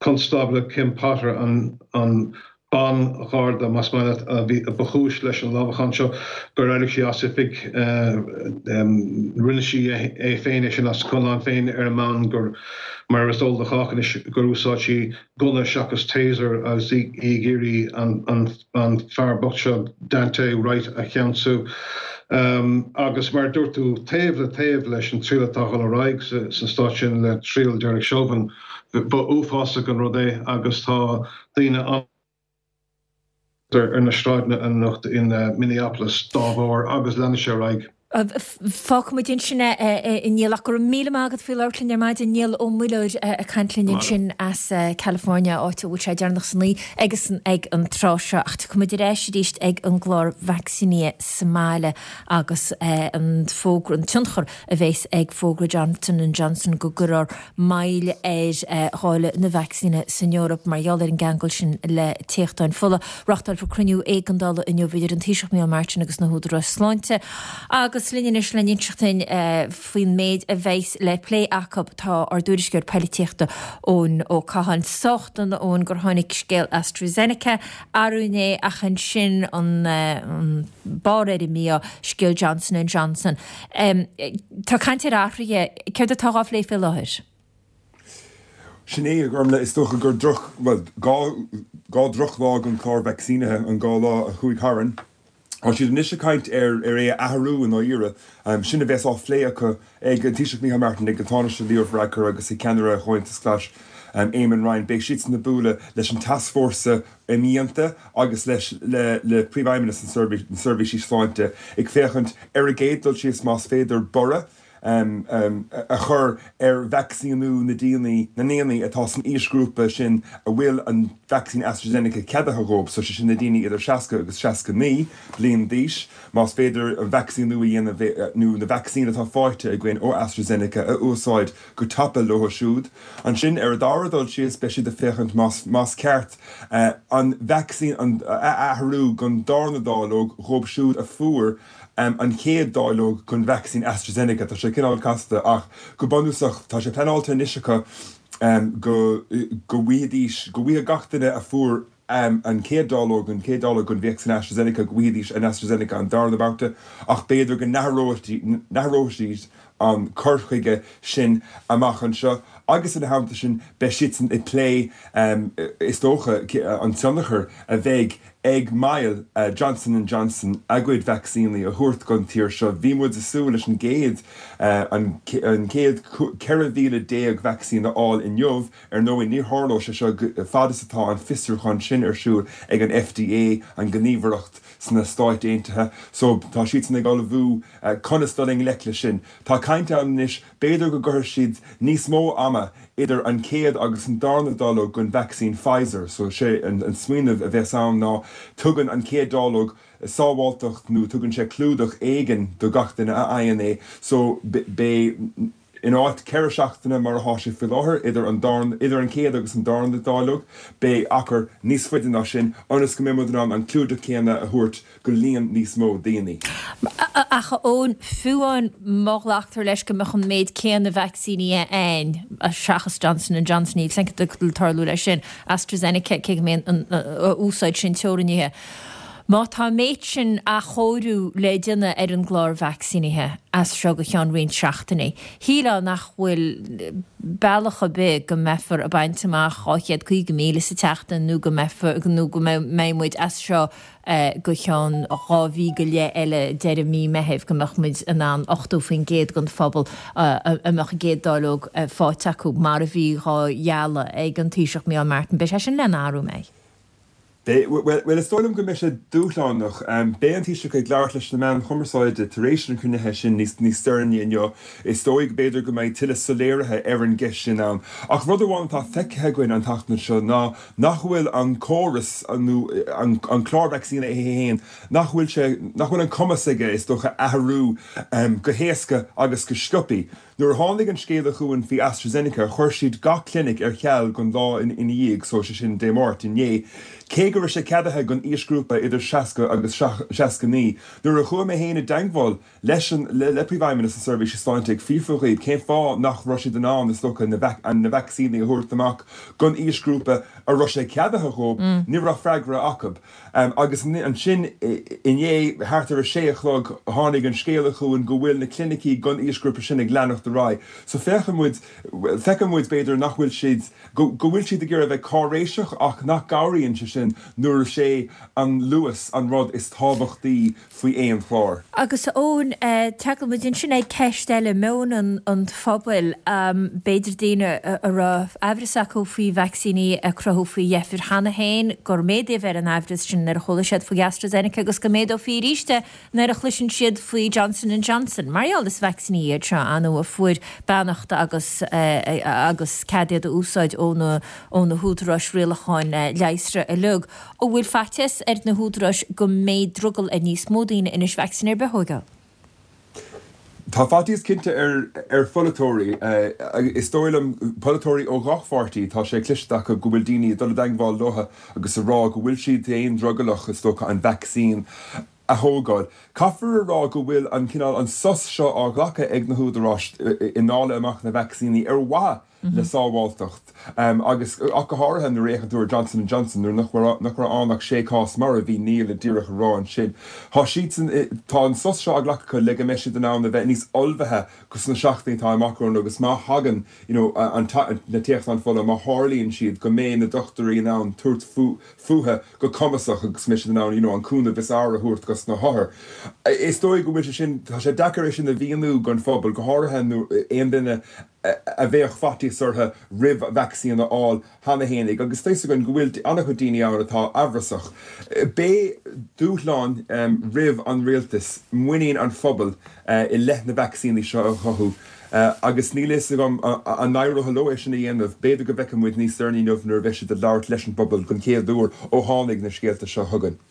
Constábla Kim Potter, an ban-gharda, más maith leat, a bhí, ba chúis leis an lámhachán seo, gur éirigh sí as oifig. Rinne sí é féin é sin as a conlán féin ar an mbonn gur, mar is eol do chách anois, gur úsáid sí gunna seachas taser agus í ag iarraidh an an fear bocht seo, Daunte Wright, a cheansú. Agus mar a dúirt tú, taobh le taobh leis an triail atá ag dul ar aghaidh sa stát sin le triail Derek Chauvin, ba uafásach an rud é agus tá daoine an ar na sráideanna anocht in Minneapolis dá bharr agus leanfaidh sé ar aghaidh. Fágfaimid ansin é, a Néill, ach go raibh míle maith agat faoi labhairt linn ar maidin. Niall Ó Muilleoir ag caint linn ansin as California, áit a bhfuil sé deireanach san oíche agus ag an tráth seo. Ach tiocfaimid ar ais arís ag an gclár vacsaínithe sa mbaile agus an fógra, an tionchar a bheas ag fógra Johnson and Johnson go gcuirfear moill ar dháileadh na vacsaíne san Eoraip mar gheall ar an gceangal sin le téachtáin fola. Reáchtálfar cruinniú éigeandála inniu idir an Taoiseach Micheál Martin agus na húdaráis sláinte. Agus linn anois le n-inseacht dúinn faoin méid a bheas le plé acu tá ár dtuairisceoir poilitíochta Eoin Ó Catháin. Sách dona Eoin gur tháinig scéal AstraZeneca arú inné ach ansin an barr ar an mí-ádh, scéal Johnson and Johnson. Tá caint ar athruithe, céard atá á phlé faoi láthair? Sin é, a Ghormfhlaith, is dócha gur droch, bhuel, dhá, dhá drochlá don chlár vacsaínithe an dhá lá a chuaigh tharainn. Tá siad anois ag caint ar ar é a athrú i ndáiríre. Sin a bheas á phlé acu ag an Taoiseach Micheál Martin, ag an Tánaiste Leo Varadkar agus ag ceannaire Chomhaontas Ghlais, Eamon Ryan. Beidh siadsan ag bualadh leis an tascfhórsa imdhíonta agus leis le le Príomhfheidhmeannas na Seirbhísí Sláinte ag féachaint ar an gcéad dul síos más féidir borradh a chur ar vacsaíniú na ndaoine na ndaoine atá san aoisghrúpa sin a bhfuil an vacsaín AstraZeneca ceadaithe dhóibh, so sé sin na daoine idir seasca agus seasca naoi bliain d'aois, más féidir an vacsaíniú a dhéanamh nó na vacsaín atá faighte againn ó AstraZeneca a úsáid go tapa leo siúd. Ansin, ar an dara dul síos, beidh siad ag féachaint más más ceart an vacsaín a athrú don darna dáileog dhóibh siúd a fuair an chéad dáileog den vacsaín AstraZeneca. Tá sé cineál casta ach go bunúsach tá sé pleanáilte anois acu go go bhfaighidís, go bhfaighidh gach duine a fuair an chéad dáileog, an chéad dáileog den vacsaín AstraZeneca, go bhfaighidís an AstraZeneca an darna babhta ach b'fhéidir go n-athróidís an cur chuige sin amach anseo agus ina theannta sin beidh siadsan ag plé is dócha an tionchar a bheidh ag moill Johnson and Johnson a gcuid vacsaíní a thabhairt don tír seo. Bhí muid ag súil leis an gcéad an chéad ceithre mhíle déag vacsaín a fháil inniu. Ar ndóigh ní tharlóidh sé seo fad is atá an fiosrúchán sin ar siúl ag an F D A, an ghníomhaireacht sna Stáit Aontaithe. So tá siadsan ag ullmhú conas dul i ngleic leis sin. Tá caint ann anois b'fhéidir go gcuirfidh siad níos mó ama ama idir an chéad agus an darna dáileog den vacsaín Pfizer. So sé an, an smaoineamh a bheas ann ná tugann an chéad dáileog sábháilteacht nó tugann sé clúdach éigin do gach duine a fhaigheann é. So beidh in áit ceithre seachtaine mar atá sé faoi láthair idir an darn, idir an chéad agus an darna dáileog, beidh achar níos faide ná sin ionas go mbeidh muid in ann an clúdach céanna a thabhairt go líon níos mó daoine. Ach ón fiú amháin má ghlactar leis go mbeadh an méid céanna vacsaíní ann seachas Johnson and Johnson, níl a fhios cad tarlú leis sin, AstraZeneca, cé go mbeidh an úsáid sin teorannaithe. Má tá an méid sin athchóiriú le déanamh ar an gclár vacsaínithe as seo go ceann roinnt seachtainí, shílfeá nach bhfuil bealach ar bith go mbeifear ag baint amach dhá chéad caoga míle sa tseachtain nó go mbeifear nó go mbeidh muid as seo go ceann dhá mhí go leith eile deireadh mí Meithimh go mbeadh muid in ann ochtó faoin gcéad den phobal a mbeadh an gcéad dáileog faighte acu mar a bhí dhá ghealladh ag an Taoiseach Micheál Martin. Beidh sé sin le n-athrú, an mbeidh? Beidh, bhuel, is dóigh liom go mbeidh sé dúshlánach. Beidh an Taoiseach ag labhairt leis na meáin chumarsáide tar éis an chruinnithe sin níos níos deireanaí inniu. Is dóigh go b'fhéidir go mbeidh tuilleadh soiléirithe ar an gceist sin ann. Ach rud amháin atá feicthe againn an tseachtain seo ná nach bhfuil an córas nó an an clár vacsaíne é féin, nach bhfuil sé, nach bhfuil an cumas aige, is dócha, athrú go héasca agus go sciobtha. Nuair a tháinig an scéala chugainn faoi AstraZeneca, chuir siad gach clinic ar ceal don lá ina dhiaidh, so sé sin Dé Máirt, inné. Cé go raibh sé ceadaithe don aoisghrúpa idir seasca agus seasca naoi. Nuair a chuaigh mé féin i dteagmháil leis an le Príomhfheidhmeannas na Seirbhíse Sláinte ag fiafraí dhíobh cén fáth nach raibh siad in ann, is dócha, na vacsaíní a thabhairt amach don aoisghrúpa a raibh sé ceadaithe dhóibh, ní raibh freagra acu. Agus ansin inné, thart ar a sé a chlog, tháinig an scéala chugainn go bhfuil na clinicí don aoisghrúpa sin ag leanacht ar aghaidh. So féachann muid, feiceann muid b'fhéidir nach bhfuil siad, go bhfuil siad ag iarraidh a bheith cáiréiseach ach nach gcabhraíonn sé sin nuair is é an luas an rud is tábhachtaí faoi aon chlár. Agus a Eoin, tagann muid ansin ag ceist eile, meon an phobail. B'fhéidir daoine a raibh aimhreas acu faoi vacsaíní a cruthú faoi dheifir cheana féin, gur méadaíodh ar an aimhreas sin nuair a chuala siad faoi AstraZeneca agus go méadófaí arís é nuair a chloiseann siad faoi Johnson and Johnson. Mar gheall is vacsaíní iad seo, ar ndóigh, a fuair beannacht agus agus cead iad a úsáid ó na ó na húdaráis rialacháin leigheasra uilig. An bhfuil faitíos ar na húdaráis go mbeidh drogall ar níos mó daoine anois vacsaín ar bith a thógáil? Tá faitíos cinnte ar ar pholaiteoirí. Is dóigh liom, polaiteoirí ó gach pháirtí, tá sé cloiste acu go bhfuil daoine ag dul i dteagmháil leo agus ag rá go bhfuil siad féin drogallach, is dócha, an vacsaín a thógáil. Caithfear a rá go bhfuil an cineál, an sos seo á ghlacadh ag na húdaráis i ndáileadh amach na vacsaíní ar mhaithe le sábháilteacht agus ach go háirithe nuair a fhéachann tú ar Johnson and Johnson nuair nach raibh nach raibh ann ach sé chás mar a bhí Niall díreach a rá ansin. Tá siadsan, tá an sos seo á ghlacadh acu le go mbeidh siad in ann a bheith níos ullmhaithe sna seachtainí atá amach romhainn agus má thagann you know an na téachtáin fola, má tharlaíonn siad, go mbeidh na dochtúirí in ann tabhairt fúthu go cumasach agus go mbeidh siad in ann you know an cúnamh is fhearr a thabhairt dos na hothair. Is dóigh go bhfuil sé sin, tá sé deacair é sin a mhíniú don phobal, go háirithe nó aon duine a bheadh faitíos orthu roimh vacsaín a fháil cheana féin agus tá fhios againn go bhfuil an-chuid daoine ann atá amhrasach. Beidh dúshlán roimh an rialtas muinín an phobail i leith na vacsaíní seo a chothú agus níl a fhios agam an n-éireoidh leo é sin a dhéanamh. B'fhéidir go bhfeicfidh muid níos deireanaí inniu nuair a bheidh siad ag labhairt leis an bpobal den chéad uair ó tháinig na scéalta seo chugainn.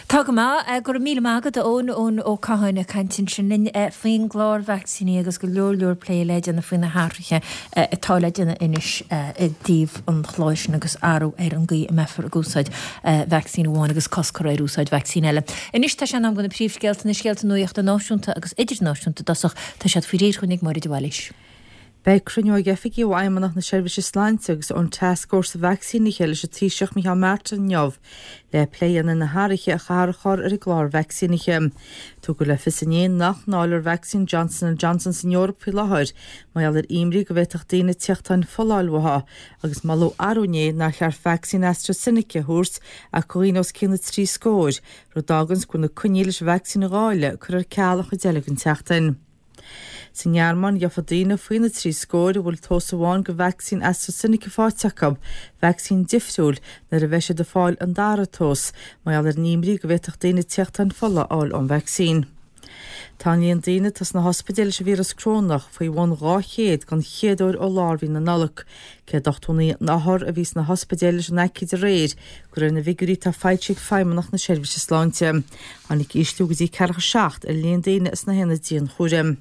Tá go maith. Go raibh míle maith agat, a Eoin, Eoin Ó Catháin ag caint ansin linn faoin gclár vacsaíní agus go leor leor plé le déanamh faoi na hathruithe atá le déanamh anois i dtaobh an chláir sin agus athrú ar an gcaoi a mbeifear ag úsáid vacsaín amháin agus cosc curtha ar úsáid vacsaín eile. Anois tá sé in am do na príomhscéalta, na scéalta nuachta náisiúnta agus idirnáisiúnta i dtosach. Tá siad faoi réir chugainn ag Máire de Bhailís. Beidh cruinniú ag oifigigh ó Fheidhmeannacht na Seirbhíse Sláinte agus ón Tascfhórsa Vacsaínithe leis an Taoiseach Micheál Martin inniu le plé a dhéanamh ar na hathruithe a chaithfear a chur ar an gclár vacsaínithe. Tugadh le fios inné nach ndáilfear vacsaín Johnson and Johnson san Eoraip faoi láthair mar gheall ar imní go bhféadfadh daoine téachtáin fola a fháil uathu agus moladh arú inné nár cheart vacsaín AstraZeneca a thabhairt ach do dhaoine os cionn na trí scóir, rud a fháganns go bhfuil na coinní leis an vacsaín a dháileadh curtha ar ceal an chuid eile den tseachtain. Sa nGearmáin, gheofa daoine faoina trí scóir a bhfuil tomhas amháin de vacsaín AstraZeneca faighte acu, vacsaín difriúil, nuair a bheidh siad ag fáil an dara tomhas, mar gheall ar an imní go bhféadfadh daoine téachtáin fola a fháil ón vacsaín. Tá an líon daoine atá sna hospidéil leis an víreas corónach faoi bhun dhá chéad den chéad uair ó lár mhí na Nollag. Céad ochtó naoi othar a bhí sna hospidéil leis an aicíd aréir, de réir na bhfigiúirí atá foilsithe ag Feidhmeannacht na Seirbhíse Sláinte. Tháinig ísliú go dtí ceathracha seacht ar líon daoine sna haonaid dianchúraim.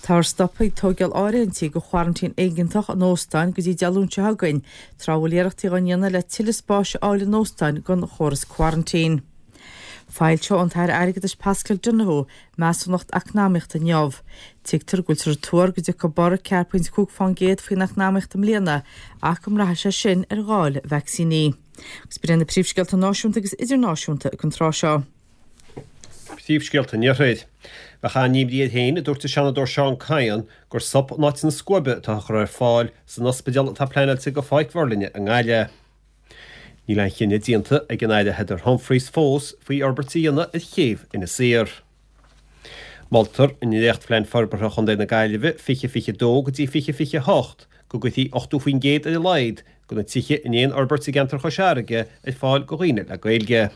Táthar stoptha ag tógáil áirithintí do choraintín éigeantach in óstáin go dtí Dé Luain seo chugainn, tráth a bhfuil iarrachtaí á ndéanamh le tuilleadh spáis a fháil in óstáin don chóras coraintín. Foilseoidh an tAire Airgeadais Paschal Donohoe measúnacht eacnamaíochta inniu. Tuigtear go bhfuiltear ag tuar go dtiocfaidh borradh ceathair pointe cúig fán gcéad faoin eacnamaíocht i mbliana ach go mbraithfidh sé sin ar dháileadh vacsaíní. Agus b'in iad na príomhscéalta náisiúnta agus idirnáisiúnta ag an tráth seo. Príomhscéalta an Iarthair. Bheadh an-imní air féin, a dúirt an Seanadóir Seán Kyne, gur sop in áit na scuaibe atá á chur ar fáil san ospidéal atá pleanáilte do Pháirc Mhuirlinne i nGaillimh. Níl aon chinneadh déanta ag an Aire Heather Humphreys fós faoi fhorbairt a dhéanamh ar chéibh Inis Oírr. Moltar i ndréachtphlean forbartha Chontae na Gaillimhe fiche fiche dó go dtí fiche fiche hocht go gcuirfí ochtó faoin gcéad ar a laghad de na tithe in aon fhorbairt i gceantar Chois Fharraige ar fáil do dhaoine le Gaeilge.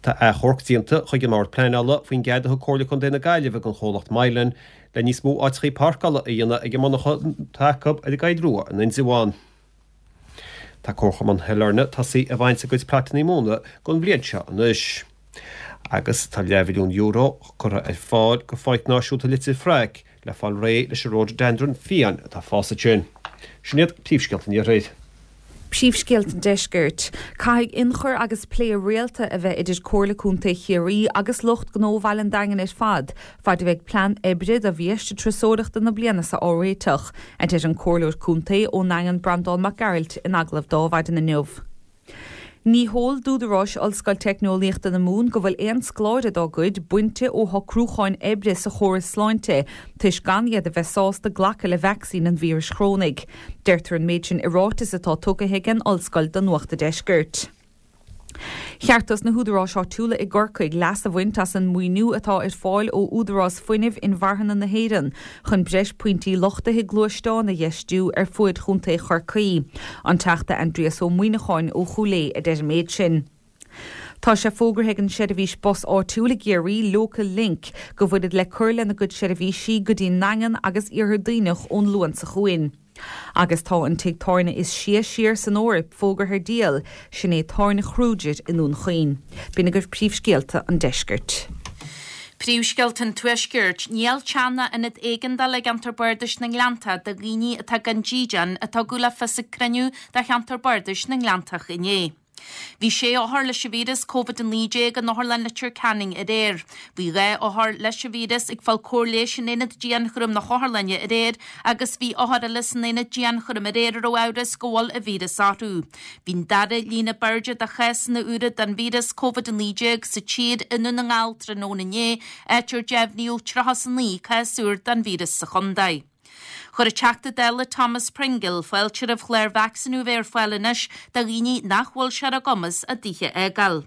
Tá achomharc déanta chuig an mBord Pleanála faoin gcead a thug Comhairle Contae na Gaillimhe don chomhlacht Mylan le níos mó áiteachaí páirceála a dhéanamh ag an monarcha atá acu ar an gCoill Rua in Indreabhán. Tá Comharchumann Shailearna tosaithe ag baint a gcuid plotanna móna don bhliain seo anois. Agus tá leathmhilliún euro curtha ar fáil do Pháirc Náisiúnta Leitir Fraic le fáil réidh leis an ródaideandran fiáin atá ag fás ansin. Sin iad príomhscéalta an Iarthair. Príomhscéalta an Deiscirt. Caithfidh ionchur agus plé rialta a bheith idir Comhairle Contae Chiarraí agus lucht gnó Bhaile an Daingin ar fad, fad a bheidh plean oibre do Bhiaiste Turasóireachta na bliana seo á réiteach, a deir an Comhairleoir Contae ón nDaingean Breandán Mac Gearailt in agallamh d'Adhmhaidin inniu. Ní heol d'údaráis Ollscoil Teicneolaíochta na Mumhan go bhfuil aon scoláire dá gcuid bainte ó shocrúcháin oibre sa chóras sláinte toisc gan iad a bheith sásta glacadh le vacsaín an víris chorónaigh. Deirtear an méid sin i ráiteas atá tugtha ag an ollscoil do Nuacht an Deiscirt. Cheart dos na húdaráis áitiúla i gCorcaigh leas a bhaint as an maoiniú atá ar fáil ó Údarás Fuinnimh Inmharthana na hÉireann chun breis pointí luchtaithe gluaisteán a dheistiú ar fuaid Chontae Chorcaí. An Teachta Aindrias Ó Muimhneacháin ó Chúil Aodha a deir an méid sin. Tá sé fógartha ag an seirbhís bus áitiúil i gCiarraí, Local Link, go bhfuilid le cur lena gcuid seirbhísí go dtí an nDaingean agus Iarthar Duibhneach ón Luan seo chugainn. Agus tá an tigh tábhairne is sia siar san Eoraip fógartha ar díol, sin é Tábhairne Kruger i nDún Chaoin. B'in agaibh príomhscéalta an deiscirt. Príomhscéalta an Tuaiscirt. Níl teach ná ionad éigeandála i gceantar Bardais na nGleanntach do dhaoine atá gan dídean, a tugadh le fios ag cruinniú de cheantar Bardais na nGleanntach inné. Bhí sé othar leis an víreas Covid a naoi déag in Otharlann Leitir Ceanainn aréir. Bhí dhá othar leis an víreas ag fáil cóir leighis in aonad dianchúraim na hotharlainne aréir agus bhí othar eile san aonad dianchúraim aréir a raibh amhras go bhfuil an víreas orthu. Bhí an dara líon ab airde de chásanna úra den víreas Covid a naoi déag sa tír i nDún na nGall tráthnóna inné, áit ar deimhníodh tríocha is a naoi cás úr den víreas sa chontae. Chuir an Teachta Dála Thomas Pringle fáilte roimh chlár vacsaíniú a bheith ar fáil anois do dhaoine nach bhfuil sé ar a gcumas a dtithe a fhágáil.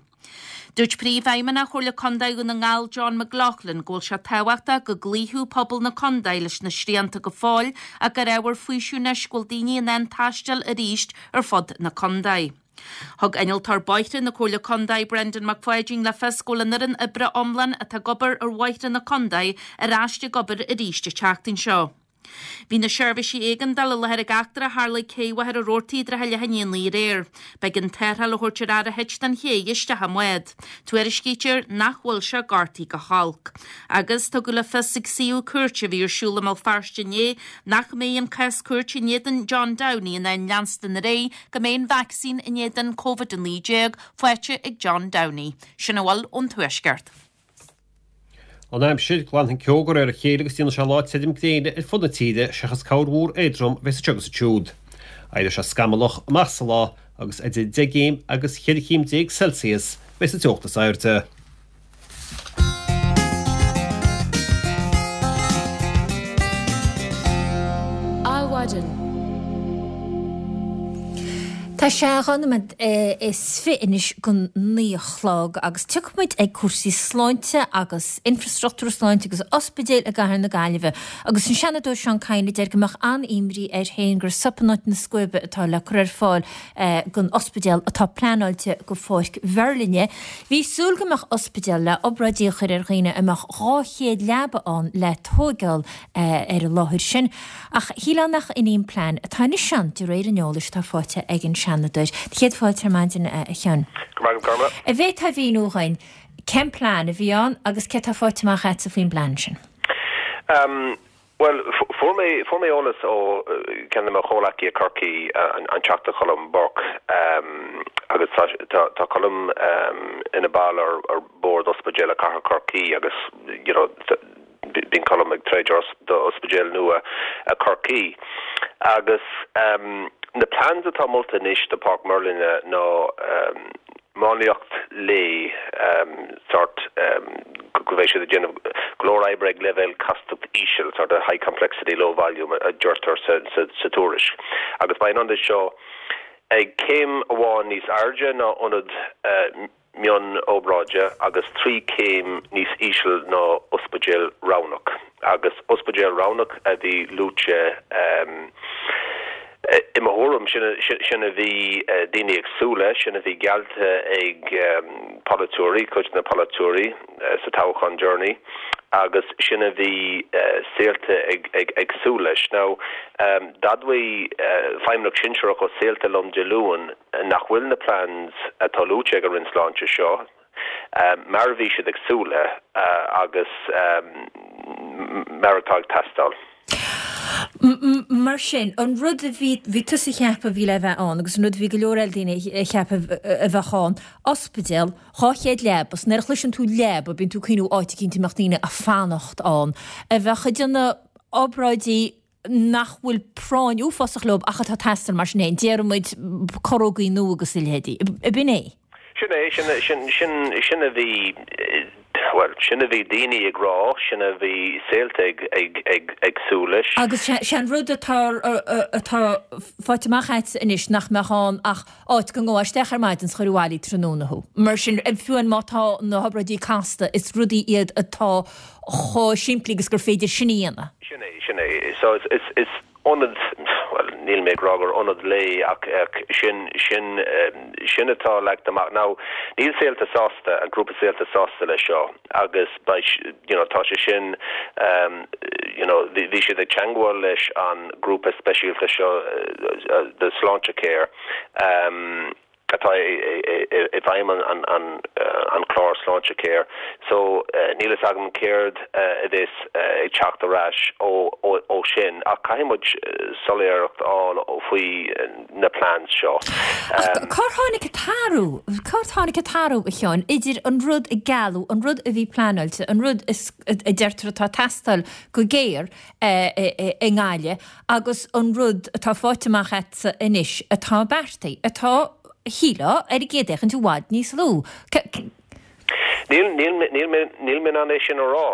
Dúirt Príomhfheidhmeannach Chomhairle Contae Dhún na nGall John McLaughlin go bhfuil sé tábhachtach go gcloífeadh pobal na contae leis na srianta go fóill ach gur ábhar faoisimh anois go bhfuil daoine in ann taisteal arís ar fud na contae. Thug Innealtóir Bóithre na Comhairle Contae Brendan Mac Pháidín le fios go bhfuil an fhoireann oibre iomlán atá ag obair ar bhóithre na contae ar ais ag obair arís an tseachtain seo. Bhí na seirbhísí éigeandála i láthair ag eachtra a tharla ag Cé Mhachaire Rabhartaigh i dtrátha leath i ndiaidh a naoi aréir. B'éigean tarrtháil a thabhairt ar fhear a thit den ché isteach i mbád. Tuairiscítear nach bhfuil sé gortaithe go holc. Agus tugadh le fios ag suíomh cúirte a bhí ar siúl i mBéal Feirste inné nach mbeidh an cás cúirte in éadan John Downey in ann leanstan ar aghaidh go mbeidh an vacsaín in éadan Covid a naoi déag faighte ag John Downey. Sin a bhfuil ón Tuaisceart. An aimsir, glanfaidh an ceo de réir a chéile agus déanfaidh sé lá tirim gréine ar fud na tíre seachas corrmhúr éadrom a bheas anseo agus ansiúd. Éireoidh sé scamallach amach sa lá agus idir deich gcéim agus cheithre chéim déag Celsius a bheas an teocht is airde. Adhmhaidin. Tá sé dhá nóiméad is fiche anois don naoi a chlog agus tiocfaidh muid ag cúrsaí sláinte agus infrastruchtúr sláinte agus ospidéil i gcathair na Gaillimhe agus an Seanadóir Seán Kyne a deir go mbeadh an-imní air féin gur sop in áit na scuaibe atá le cur ar fáil don ospidéal atá pleanáilte go Pháirc Mheirlinne. Bhí súil go mbeadh ospidéal le obráidí a chur ar dhaoine a mbeadh dhá chéad leaba ann le tóigeáil ar an láthair sin ach shílfeá nach in í an plean atá anois ann de réir an eolais atá faighte ag an Seanadóir. Do chéad fáilte ar maidin, a Sheáin. Go raibh maith agat, Gormlaith. An bhféadfá a mhíniú dhuinn cén plean a bhí ann agus cé tá faighte amach agatsa faoin bplean sin? Bhuel, fuair mé, fuair mé eolas ó ceann de mo chomhleacaí i Corcaigh, an Teachta Colm Burke, agus tá, tá, tá Colm ina ball ar, ar Bhord Ospidéal Cathair Chorcaí agus, you know, Bíonn Colm ag troid do ospidéal nua Chorcaí. Agus na plans atá molta anois do Páirc Mheirlinne ná máinliacht lae, sórt go mbeidh siad ag déanamh go leor oibre ag leibhéal castacht íseal, sort of high complexity, low volume a deirtear sa tuairisc. Agus beidh an ionad seo ag céim amháin níos airde ná ionad mion-obráide agus trí chéim níos íseal ná ospidéal roghnach. Agus ospidéal roghnach a bhí luaite i mo thuairim, sin a bhí daoine ag súil leis, sin a bhí geallta ag polaiteoirí, cuid de na polaiteoirí sa toghchán deireanach agus sin a bhí Saolta ag súil leis. Now, d'admhaigh feidhmeannach sinsearach ó Saolta liom Dé Luain nach bhfuil na plans atá luaite ag an Roinn Sláinte seo mar a bhí siad ag súil le agus mar atá ag teastáil. Mar sin, an rud a bhí, bhí tusa a cheapadh a bhí le bheith ann agus an rud a bhí go leor eile daoine a cheapadh a bheadh ann, ospidéal, dhá chéad leaba, 's nuair a chloiseann tú leaba, bíonn tú ag cuimhniú áit eicínt a mbeadh daoine ag fanacht ann, a bheadh ag déanamh obráidí nach bhfuil práinn uafásach leo ach atá ag teastáil mar sin féin, déarfaidh muid corrógaí nua agus a leithéidí. Ab in é? Sin é, sin, sin, sin, sin a bhí, bhuel, sin a bhí daoine ag rá, sin a bhí Saolta ag, ag, ag, ag súil leis. Agus sé an rud atá, atá faighte amach agat anois nach mbeadh ann ach áit go ngabhfá isteach ar maidin 's chuirfí abhaile tráthnóna thú. Mar sin, fiú amháin má tá na hobráidí casta, is rudaí iad atá chomh simplí agus gur féidir sin a dhéanamh. Sin é, sin é. So is, is, is ionad, bhuel, níl mé ag rá gur ionad lae ach, ach sin, sin, sin atá leagtha amach. Now, níl Saolta sásta, an grúpa Saolta sásta leis seo agus beidh, you know, tá sé sin, you know, bhí, bhí siad ag teangmháil leis an grúpa speisialta seo de Sláintecare, atá i bhfeidhm an clár Sláintecare. So níl fhios agam céard a bheas ag teacht ar ais ó sin ach caithfidh muid soiléireacht a fháil faoi na plans seo. Ach cár tháinig an t-athrú, cár tháinig an t-athrú, a Sheáin, idir an rud a gealladh, an rud a bhí pleanáilte, an rud a deirtear atá ag teastáil go géar i nGaillimh agus an rud atá faighte amach agatsa anois atá beartaithe, atá, shílfeá, ar an gcéad fhéachaint i bhfad níos lú. Níl, níl, níl mé, níl mé in ann é sin a rá,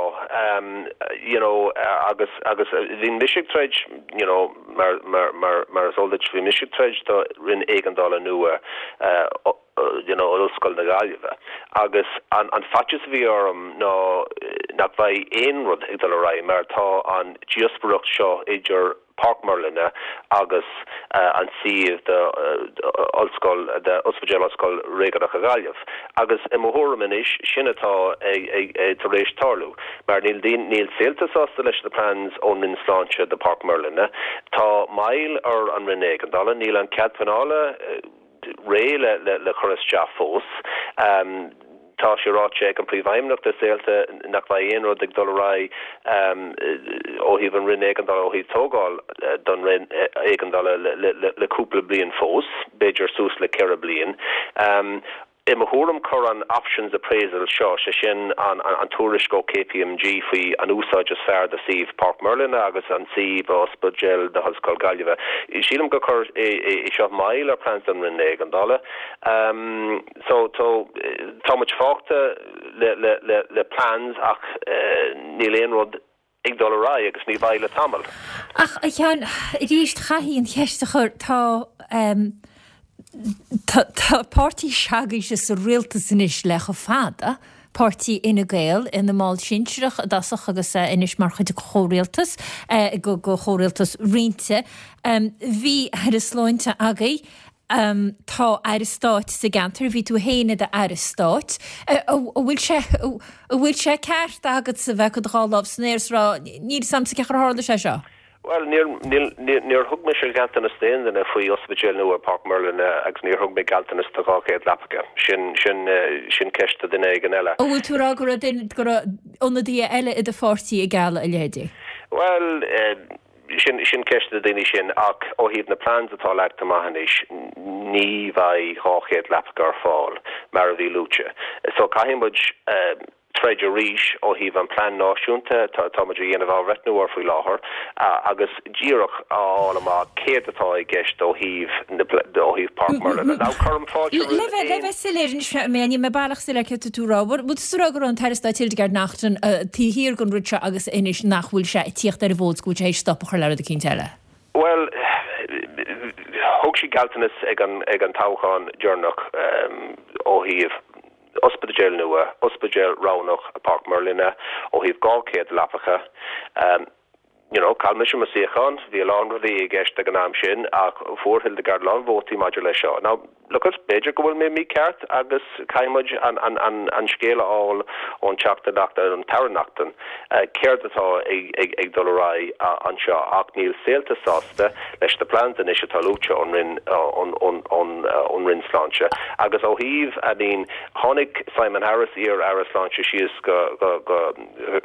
you know, agus, agus bhí mise ag troid, you know, mar, mar, mar, mar is eol duit, bhí mise ag troid do Roinn Éigeandála nua, you know, Ollscoil na Gaillimhe. Agus an an faitíos a bhí orm ná nach mbeidh aon rud ag dul ar aghaidh mar tá an díospóireacht seo idir Páirc Mheirlinne agus an suíomh do Ollscoil do Ospidéal Ollscoil Réigiúnach na Gaillimhe. Agus i mo thuairim anois sin atá tar éis tarlú mar níl níl Saolta sásta leis na plans ón Roinn Sláinte do Páirc Mheirlinne. Tá moill ar an Roinn Éigeandála, níl an cead pleanála réidh le le cur isteach fós. Tá sé ráite ag an Príomhfheidhmeannach de Saolta nach mbeidh aon rud ag dul ar aghaidh ó thaobh an Roinn Éigeandála, ó thaobh tógáil don Roinn Éigeandála le cúpla bliain fós, b'fhéidir suas le ceithre bliain. I mo thuairim chuir an options appraisal seo, sé sin an tuairisc ó KPMG faoi an úsáid is fearr do suíomh Páirc Mheirlinne agus an suíomh Ospidéal na hOllscoile Gaillimhe, sílim gur chuir é seo moill ar plans don Roinn Éigeandála. So tá muid fágtha le plans ach níl aon rud ag dul ar aghaidh agus ní bheidh le tamall. Ach a Sheáin, arís chaithfidh an cheist a chur, tá Tá páirtí s'agaibhse sa rialtas anois le chomh fada, páirtí Fhine Gael, ina mball sinsearach i dtosach agus anois mar chuid de chomhrialtas, go chomhrialtas roinnte. Bhí Aire Sláinte agaibh, tá Aire Stáit sa gceantar, bhí tú féin i d'Aire Stáit. An bhfuil sé, an bhfuil sé ceart agatsa bheith ag cur do dhá lámh san aer is rá, níl 'fhios a'msa cén chaoi ar tharla sé seo? Bhuel, níor, níl, níor thug mise gealltanas d'aon duine faoi ospidéal nua i Páirc Merlin agus níor thug mé gealltanas do dhá chéad leapacha. Sin, sin, sin ceist do duine éigin eile. An bhfuil tú ag rá go raibh duine, go raibh ionadaithe eile i do pháirtí ag gealladh a leithéidí? Bhuel, sin, sin ceist do na daoine sin ach ó thaobh na plans atá leagtha amach anois, ní bheidh dhá chéad leapacha ar fáil mar a bhí luaite. So caithfidh muid, troid arís ó thaobh an plean náisiúnta atá muid a dhéanamh athbhreithniú air faoi láthair agus díreach a fháil amach céard atá i gceist ó thaobh na ó thaobh Páirc Merlin. Now cuirim fáilte roimh Le bheith le bheith soiléir anois mé níl mé baileach soiléir céard atá tú a rá. Bhfuil tú ag rá go raibh an tAire Stáit Hildegarde Naughton taobh thiar den rud seo agus anois nach bhfuil sé ag tíocht ar an bhfód 's go bhfuil sé théis stop a chur le rud eicínt eile? Bhuel, thug sí gealltanas ag an ag an toghchán deireanach ó thaobh Ospidéal nua, ospidéal roghnach i Páirc Merlina ó thaobh dhá chéad leapacha. You know, chaill mise mo suíochán, bhí a lán rudaí i gceist ag an am sin ach fuair Hildegarde a lán vótaí maidir leis seo. Now, look it, b'fhéidir go bhfuil mé mícheart agus caithfidh muid an, an, an, an scéal a fháil ón Teachta Naughton, an tAire Naughton, céard atá ag, ag, ag dul ar aghaidh anseo ach níl Saolta sásta leis na plans anois atá luaite ón Roinn, ón, ón, ón, ón Roinn Sláinte agus ó thaobh, I mean, Tháinig Simon Harris, iar-Aire Sláinte, síos go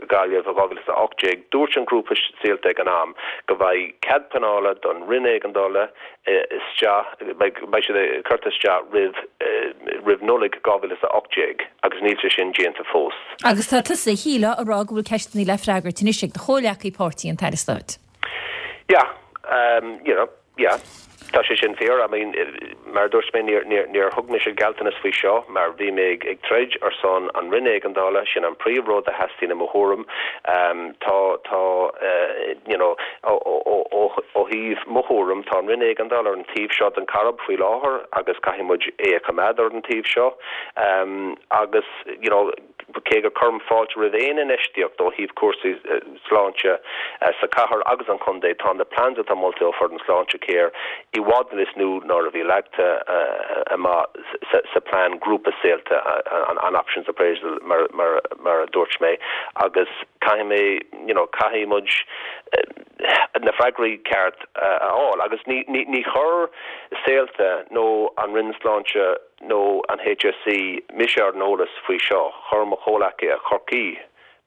Gaillimh i dhá mhíle is a hocht déag. Dúirt an grúpa Saolta ag an am go mbeidh cead pleanála don Roinn Éigeandála isteach, beidh siad curtha isteach roimh roimh Nollaig dhá mhíle is a hocht déag agus níl sé sin déanta fós. Agus tá tusa, shílfeá, ag rá go bhfuil ceisteanna le freagairt anois ag do chomhghleacaí páirtí, an tAire Stáit. Yeah, you know, yeah. Tá sé sin fíor. I mean, mar a dúirt mé, níor, níor, níor thug mise gealltanas faoi seo mar bhí mé ag, ag troid ar son an Roinn Éigeandála, sin an príomh rud a theastaíonn i mo thuairim. Tá, tá, you know, ó, ó, ó, ó thaobh mo thuairim, tá an Roinn Éigeandála ar an taobh seo den Chairib faoi láthair agus caithfidh muid é a choimeád ar an taobh seo. Agus, you know, Cé go cuirim fáilte roimh aon infheistíocht ó thaobh cúrsaí sláinte sa chathair agus an chontae, tá na plans atá molta ó foireann Sláintecare i bhfad níos lú ná a bhí leagtha amach sa plean grúpa Saolta, an options appraisal mar a dúirt mé, agus caithfidh mé, you know, caithfidh muid na freagraí ceart a fháil agus ní chuir Saolta nó an Roinn Sláinte nó an HSE mise ar an eolas faoi seo, chuir mo chomhleacaithe i Chorcaí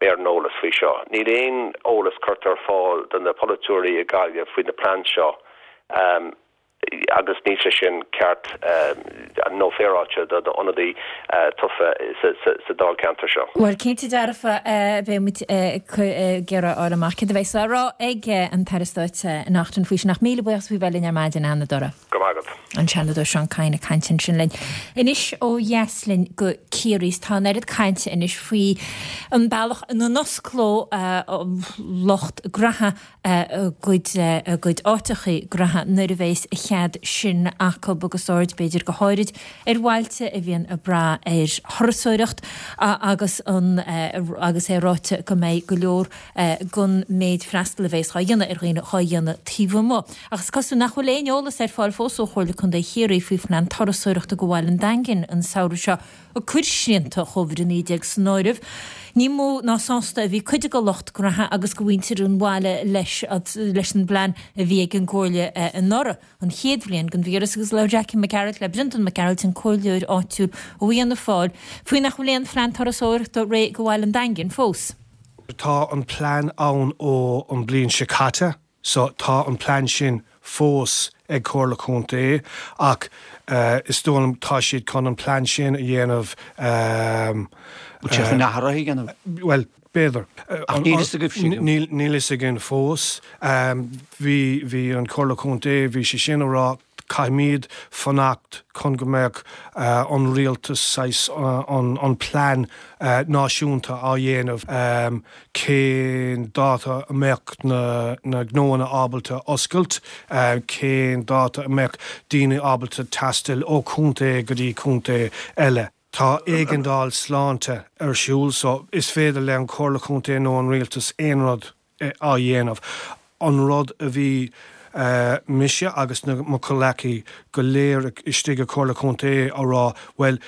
mé ar an eolas faoi seo. Níl aon eolas curtha ar fáil do na polaiteoirí i Gaillimh faoi na plans seo agus níl sé sin ceart nó féaráilte do d'ionadaí tofa sa dáilcheantar seo. Bhuel, cinnte dearfa, beidh muid ag iarraidh a fháil amach céard a bheas á rá ag an tAire Stáit Naughton faoi sin ach míle buíochas faoi bheith linn ar maidin, a Sheanadóra. Go raibh maith agat. An Seanadóir Seán Kyne ag caint ansin linn. Anois ó dheas linn go Ciarraí. Tá an oiread cainte anois faoi an bealach ina n-osclódh lucht graithe a gcuid a gcuid áiteachaí graithe nuair a bheas a chead sin acu agus aird b'fhéidir go háirid ar bhailte a bhíonn ag brath ar thurasóireacht agus an agus é ráite go mbeidh go leor den méid freastal a bheas dhá dhéanamh ar dhaoine dhá dhéanamh taobh amuigh. Ach is cosúil nach bhfuil aon eolas ar fáil fós ó Chomhairle Contae Chiarraí faoi phlean turasóireachta do bhaile an Daingin an samhradh seo, ag cur srianta Chóivid a naoi déag san áireamh. Ní mó ná sásta a bhí cuid de lucht graithe agus de mhuintir an bhaile leis leis an bplean a bhí ag an gComhairle anuraidh, an chéad bhliain den víreas, agus labhair Jackie Mac Gearailt le Brendan Mac Gearailt, an comhairleoir áitiúil ó Fhianna Fáil, faoi nach bhfuil aon phlean turasóireachta réidh do bhaile an Daingin fós. Tá an plean ann ó an bliain seo caite so tá an plean sin fós ag Comhairle Contae ach is dóigh liom tá siad chun an plean sin a dhéanamh. Bhfuil sé chun athruithe a dhéanamh? Bhuel, b'fhéidir. Ach níl fhios agaibh sin. Níl fhios againn fós. Bhí, bhí an Comhairle Contae, bhí sé sin a rá Caithfimid fanacht chun go mbeadh an rialtas saghas an plean náisiúnta á dhéanamh cén dáta a mbeadh na gnóanna ábalta oscailt, cén dáta a mbeadh daoine ábalta taisteal ó chontae go dtí contae eile. Tá éigeandáil sláinte ar siúl so is féidir le an Chomhairle Chontae nó an rialtas aon rud á dhéanamh. An rud a bhí mise agus na mo chomhleacaí go léir istigh i Comhairle Contae á rá, bhuel,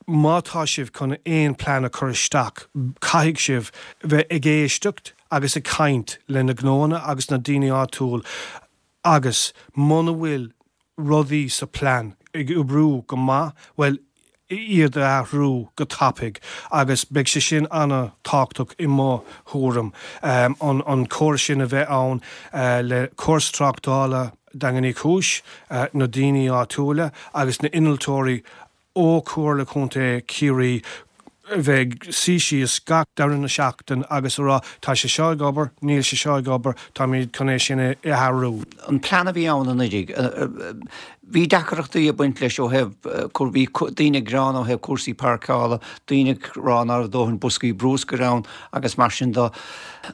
má tá sibh chun aon plean a chur isteach, caithfidh sibh bheith ag éisteacht agus ag caint le na gnóanna agus na daoine áitiúil agus muna bhfuil rudaí sa plean ag oibriú go maith, bhuel, iad a athrú go tapaidh agus beidh sé sin an-tábhachtach i mo thuairim, an an córas sin a bheith ann le córas tráchtála Daingean Uí Chúis, na daoine áitiúla agus na innealtóirí ó Chomhairle Contae Chiarraí a bheith ag suí síos gach deireadh na seachtain agus a rá tá sé seo ag obair, níl sé seo ag obair, táimid chun é sin a athrú. An plean a bhí ann anuraidh, bhí deacrachtaí ag baint leis ó thaobh, bhí daoine ag gearán ó thaobh cúrsaí páirceála, daoine ag rá nach raibh dóthain boscaí brúscair ann agus mar sin de.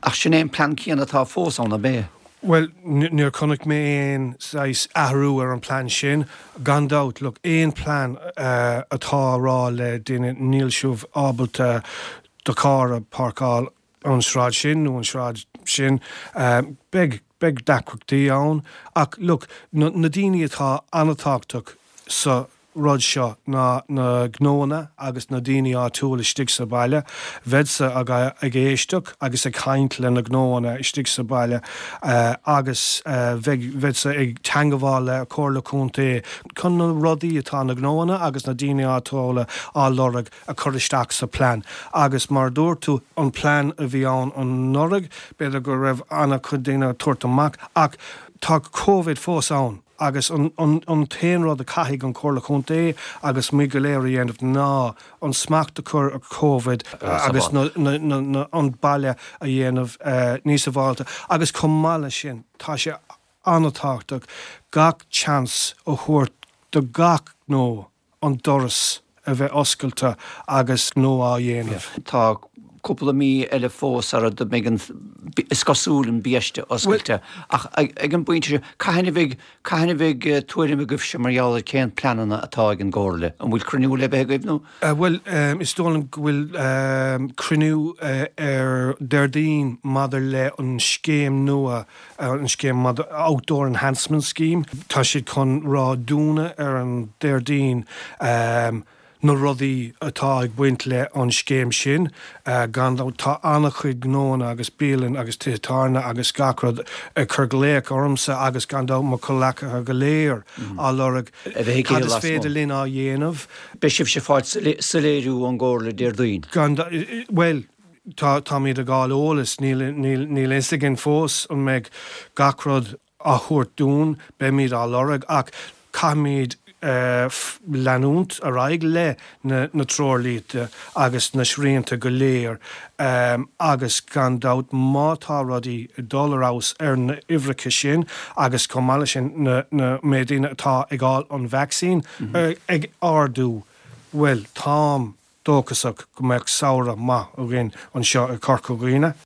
Ach sin é an plean céanna atá fós ann, ab é? Bhuel, níor chonaic mé aon saghas athrú ar an plean sin. Gan dabht, look, aon plean atá a rá le duine níl sibh ábalta do charr a pháirceáil an sráid sin nó an sráid sin, beidh, beidh deacrachtaí ann. Ach, look, na daoine atá an-tábhachtach sa rud seo ná na gnóanna agus na daoine áitiúil istigh sa baile. Bheadsa ag éisteacht agus ag caint le na gnóanna istigh sa baile agus bheadsa ag teangabháil le Comhairle Contae chun na rudaí atá na gnóanna agus na daoine áitiúla á lorg a chur isteach sa plean. Agus mar a dúirt tú, an plean a bhí ann anuraidh, b'fhéidir go raibh an-chuid daoine ag tabhairt amach ach tá Covid fós ann. Agus an t-aon rud a caithfidh an Chomhairle Contae agus muid go léir a dhéanamh ná an smacht a chur ar Covid agus an baile a dhéanamh níos sábháilte. Agus chomh maith leis sin, tá sé an-tábhachtach gach seans a thabhairt do gach gnó an doras a bheith oscailte agus gnó á dhéanamh. Tá cúpla mí eile fós sara mbeidh an, is cosúil, an biaiste oscailte. Ach ag an bpointe seo, cathain a bheidh, cathain a bheidh tuairim agaibhse mar gheall ar cén pleananna atá ag an gComhairle? An bhfuil cruinniú le bheith agaibh nó? Bhuel, is dóigh liom go bhfuil cruinniú ar Déardaoin maidir le an scéim nua, an scéim maidir, Outdoor Enhancement Scheme. Tá siad chun rá dúinne ar an Déardaoin na rudaí atá ag baint le an scéim sin. Gan dabht tá an-chuid gnóanna agus bialann agus tithe tábhairne agus gach rud ag cur glaoch ormsa agus gan dabht mo chomhleacaithe go léir á lorg cad is féidir linn á dhéanamh. Beidh sibhse ag fáil soiléiriú ón gComhairle Déardaoin. Gan dabht, bhuel, tá, táimid ag fáil eolas, níl, níl, níl a fhios againn fós an mbeidh gach rud á thabhairt dúinn, beimid á lorg ach caithfimid leanúint ar aghaidh le na treoirlínte agus na srianta go léir agus gan dabht má tá rudaí ag dul ar fheabhas ar na huimhreacha sin agus chomh maith leis sin na méid daoine atá ag fháil an vacsaín ag ardú, bhuel táim dóchasach go mbeadh samhradh maith againn anseo i Corca Dhuibhne.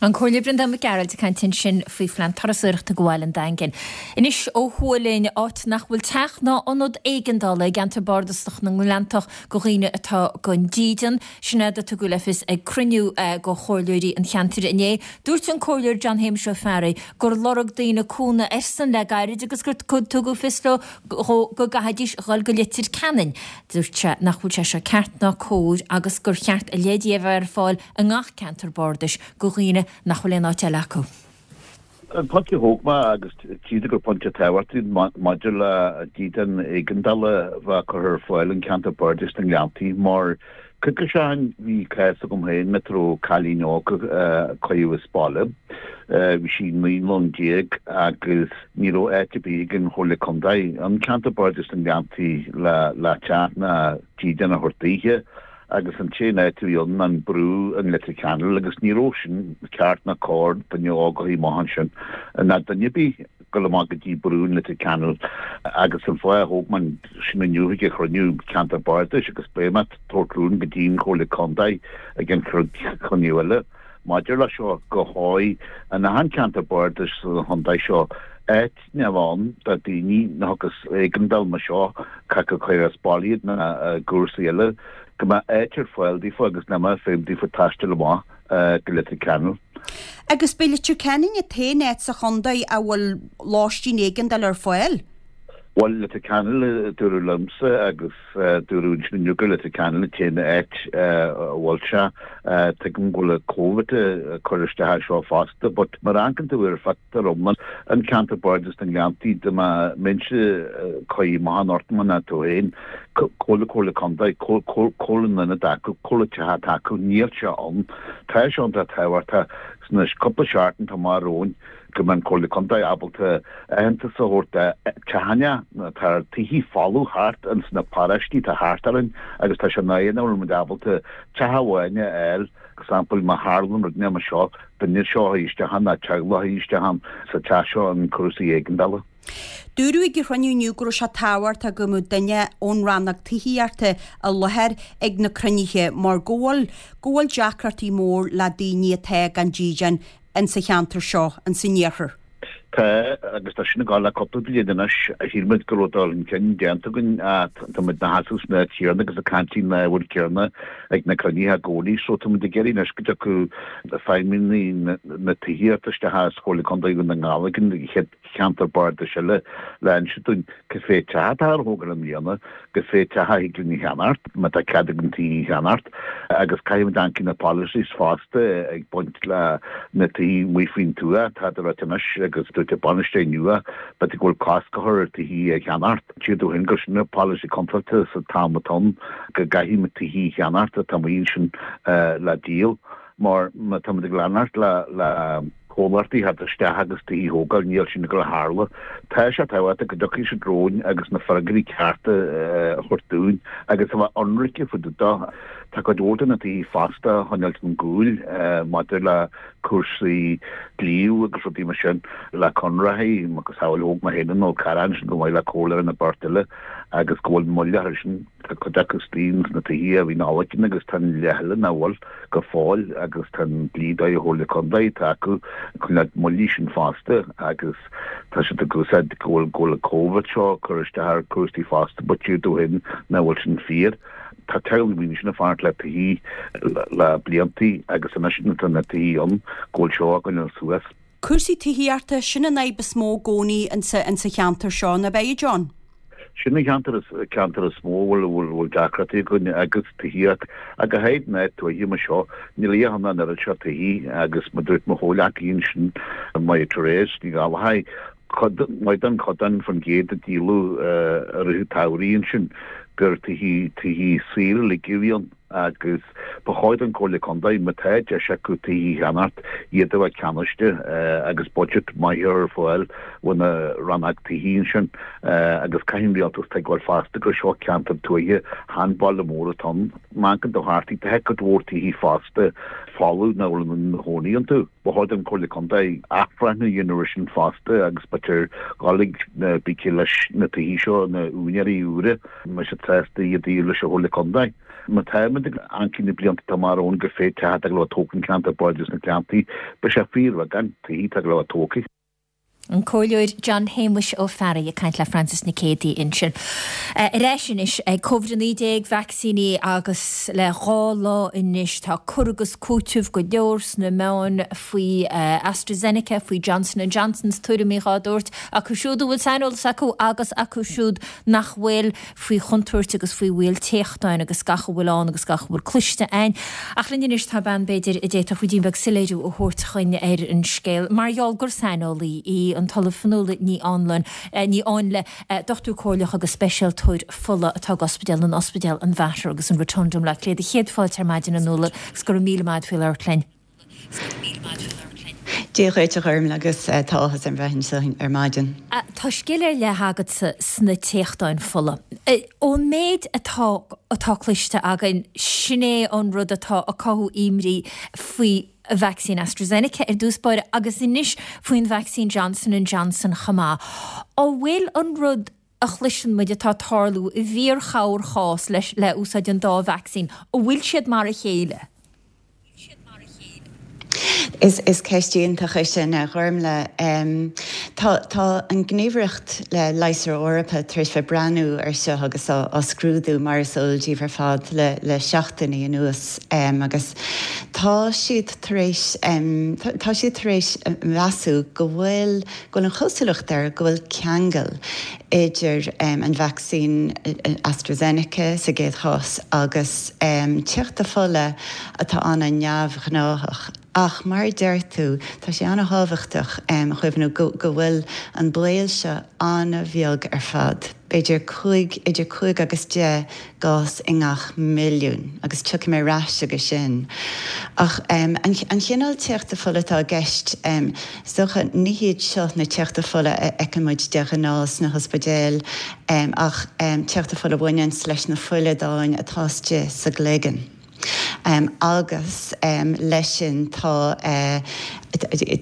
An Comhairleoir Breandán Mac Gearailt ag caint ansin faoi phlean turasóireachta do bhaile an Daingin. Anois ó thuaidh linn, áit nach bhfuil teach ná ionad éigeandála i gceantar bardasach na nGleanntach do dhaoine atá gan dídean. Sin é a tugadh le fios ag cruinniú de chomhairleoirí an cheantair inné. Dúirt an Comhairleoir John Shéamuis Ó Fearraigh gur lorg daoine cúnamh airsean le gairid agus gur tugadh fios leo go gcaithfidís dhul go Leitir Ceanainn. Dúirt sé nach bhfuil sé seo ceart ná cóir agus gur cheart a leithéidí a bheith ar fáil i ngach ceantar bardais do dhaoine nach bhfuil aon áit eile acu. An pointe a thóg mé, agus tchíd gur pointe tábhachtach maidir le dídean éigeandála a bheith curtha ar fáil in ceantar Bardais na nGleanntaí, mar cúpla seachtain bhí cás agam féin mar raibh cailín óg a cuireadh as baile. Bhí sí naoi mbliana déag agus ní raibh áit ar bith ag an Chomhairle Contae in ceantar Bardais na nGleanntaí le le teach ná dídean a thabhairt daoithe. agus an t-aon áit a bhí ann ná an brú in Leitir Ceanainn agus ní raibh sin ceart ná cóir duine óg a shuí amach ansin ná duine ar bith dul amach go dtí brú in Leitir Ceanainn agus an fáth a thóg mé sin inniu ag an chruinniú ceantar bardais agus beidh mé ag tabhairt rún go dtí an Chomhairle Contae ag an chruinniú eile maidir leis seo go háirithe in achan ceantar bardais sa chontae seo áit a bheith ann do daoine nuair a thiocfas éigeandáil mar seo caithfidh cur as baile iad nó cúrsaí eile go mbeadh áit ar fáil daofa agus nach mbeadh feidhm daofa taisteal amach go Leitir Ceanainn. Agus b'é Leitir Ceanainn an t-aon áit sa chontae a bhfuil lóistín éigeandála ar fáil? Bhuel, Leitir Ceanainn a dúradh liomsa agus dúradh ansin inniu gur Leitir Ceanainn an t-aon áit a bhfuil sé. Tuigim go bhfuil Covid ag cur isteach air seo fosta but mar a amharcann tú ar phictiúr iomlán an ceantar bardais na nGleanntaí dá mbeinnse cuí maith an ort mar ná tú féin, cá bhfuil an Chomhairle Contae, cá bhfuil an ionad acu, cá bhfuil an teach atá acu, níl sé ann. Tá sé iontach tábhachtach sna cúpla seachtain atá amach romhainn go mbeidh an Chomhairle Contae ábalta aitheantas a thabhairt do teachanna, tá tithe folamh thart ins na paróistí atá thart orainn agus tá sé náireach nach bhfuil muid ábalta teach amháin a fháil, example má tharlaíonn rud mar seo, duine seo a isteach ann ná teaghlach a isteach ann sa teach seo an cúrsaí éigeandála. Dúradh ag an chruinniú inniu go raibh sé tábhachtach go mbeadh duine ón rannóg tithíochta i láthair ag na cruinnithe mar go bhfuil go bhfuil deacrachtaí mór le daoine atá gan dídean insa cheantar seo, insan iarthar. Tá, agus tá sin ag dul le cúpla bliain anois. Shíl muid go raibh dul chun cinn déanta againn ach tá muid ina sheasamh san áit chéanna agus ag caint faoin ábhar céanna ag na cruinnithe i gcónaí. So tá muid ag iarraidh anois go dtiocfadh feidhmeannaigh na tithíochta isteach as Chomhairle Contae Dhún na nGall ag an chéad cheantar bardais eile le inse dúinn cé mhéad teach atá ar thógáil i mbliana, cé mhéad teach a thig linn a cheannacht, má tá cead againn tithe a cheannacht, agus caithfidh muid amharc ar na policies fosta ag baint le na tithe amuigh faoin tuath, tá a ráit anois agus dúirt an bainisteoir nua b'fhéidir go bhfuil cosc a chur ar tithe a cheannacht. Siad ó shin gur sin an polasaí contráilte sa t-am atá ann go gcaithfidh muid tithe a cheannacht atá amuigh ansin le díol mar má tá muid ag leanacht le le comhlachtaí a theacht isteach agus tithe a thógáil, níl sin ag dul a tharlú. Tá sé tábhachtach go dtiocfaidh siad romhainn agus na freagraí cearta a thabhairt dúinn agus a bheith ionraice fá dtaobh de. Tá cuid mhór de na tithe fosta á choinneáilt chun gcúil maidir le cúrsaí dlí agus rudaí mar sin, le conarthaí, macasamhail thóg mé féin an Fhál Carrach ansin chomh maith le comhairleoir nó beirt eile agus go bhfuil moill orthu sin. Tá cuid acu istigh sna tithe a bhí in Alcan agus tá an leath eile nach bhfuil go fóill agus tá an dlí dóigh Chomhairle Contae atá acu chun na moillí sin fosta agus tá siad ag úsáid go bhfuil go bhfuil an Covid seo ag cur isteach ar cúrsaí fosta but siad ó shin nach bhfuil sin fíor. Tá teaghlaigh daoine sin ag fanacht le tithe le bliantaí agus anois tá na tithe ann go bhfuil seo á gcoinneáil suas. Cúrsaí tithíochta, sin an fhadhb is mó i gcónaí insa cheantar seo, nach ea, John? Sin an ceantar is ceantar is mó a bhfuil bhfuil bhfuil deacrachtaí againn agus tithíocht ach go háirid in áit tuaithe mar seo níl a dhath ann an oiread seo tithí agus mar dúirt mo chomhghleacaí ansin Máire Therese Ní Ghallchóir cuid mhaith den chodán faoin gcéad a díoladh i rith an tsamhraidh ansin gur tithí tithí saoire uilig a bhí ann. agus ba chóir don Chomhairle Contae, má tá deis acu tithe a cheannacht, iad a bheith ceannaiste agus budget maith a chur ar fáil ó na rannóg tithí ansin agus caithfidh an rialtas tuigbheáil fosta gur seo ceantar tuaithe, chan baile mór atá ann. Má amharcann tú thart, tá cuid mhór tithí fosta folamh nach bhfuil aon duine ina chónaí iontu. Ba chóir don Chomhairle Contae athbhreithniú a dhéanamh ar sin fosta agus b'fhéidir dhul ag na bící leis na tithí seo, na úinéirí úra, má tá siad sásta iad a dhíol leis an Chomhairle Contae. Má táimid ag amharc na blianta atá amach romhainn cé mhéad teach atá ag dul a tógtha an ceantar bardais na Gleanntaí, beidh sé fíorbheagán tithí atá ag dul a tógtha. An Comhairleoir John Shéamuis Ó Fearraigh ag caint le Frances Nic Géadaigh ansin. Ar ais anois ag Covid a naoi déag, vacsaíní agus le dhá lá anois tá cur agus cúiteamh go leor sna meáin faoi AstraZeneca, faoi Johnson and Johnson, tuairimí dhá dtabhairt acu siúd a bhfuil saineolas acu agus acu siúd nach bhfuil. faoi chontúirt agus faoi bhaol téachtáin agus gach a bhfuil ann agus gach a bhfuil cloiste a'inn. Ach linn anois tá bean, b'fhéidir, a d'fhéadfadh ruidín beag soiléiriú a thabhairt chuinn ar an scéal, mar gheall gur saineolaí í, an tOllamh Fionnuala Ní Anluain, Ní Áinle, dochtúir comhairleach agus speisialtóir fola atá ag ospidéal an Ospidéal, an Mater agus an Rotunda i mBleá Cliath. Céad fáilte ar maidin a Fhionnuala agus go raibh míle maith a't faoi labhairt linn. Dia dhuit a Ghormlaith agus tá áthas orm bheith anseo ar maidin. Tá scil ar leith agatsa sna téachtáin fola. Ón méid atá atá cloiste againn, sin é an rud atá ag cothú imní faoi vacsaín AstraZeneca ar dtús báire agus anois faoin vacsaín Johnson and Johnson chomh maith. An bhfuil an rud a chloiseann muid atá ag tarlú i bhfíor-chorrchás leis le úsáid an dá vacsaín, an bhfuil siad mar a chéile? Is is ceist iontach é sin, a Ghormlaith. Tá tá an Gníomhaireacht le Leigheasra Eorpacha tar éis bheith breathnú ar seo agus á á scrúdú mar is eol daoibh ar fad le le seachtainí anuas agus tá siad tar éis tá siad tar éis measú go bhfuil go bhfuil an chosúlacht air go bhfuil ceangal idir an vacsaín AstraZeneca sa gcéad chás agus téachtadh fola atá an-neamhghnáthach. Ach mar a deir tú, tá sé an-thábhachtach a chuimhniú go bhfuil an baol seo an-bheag ar fad, b'fhéidir cúig, idir cúig agus deich gcás i ngach milliún, agus tiocfaidh mé ar ais chuige sin. Ach an chineál téachta fola atá i gceist, is dócha, ní hiad seo na téachta fola a fheiceann muid de ghnáth sna hospidéil, ach téachta fola a bhaineanns leis na fuileadáin atá istigh sa gcloigeann. Agus leis sin tá,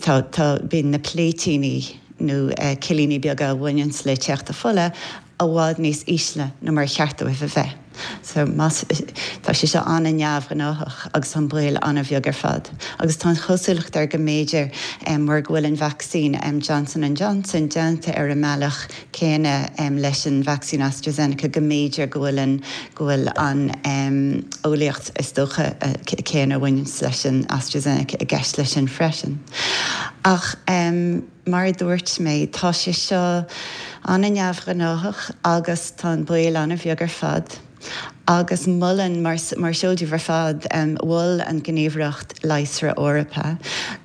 tá, tá, bíonn na pléitíní nó cillíní beaga a bhaineanns le téachtadh fola i bhfad níos ísle ná mar a cheart dóibh a bheith. So más, tá sé seo an-neamhghnáthach agus tá an baol an-bheag ar fad. Agus tá an chosúlacht air go mb'fhéidir mar go bhfuil an vacsaín Johnson and Johnson déanta ar an mbealach céanna leis an vacsaín AstraZeneca go mb'fhéidir go bhfuil an, go bhfuil an eolaíocht is dócha céanna a bhaineanns leis an AstraZeneca i gceist leis sin freisin. Ach mar a dúirt mé, tá sé seo an-neamhghnáthach agus tá an baol an-bheag ar fad. Agus molann, mar is eol daoibh ar fad, mhol an Ghníomhaireacht Leigheasra Eorpacha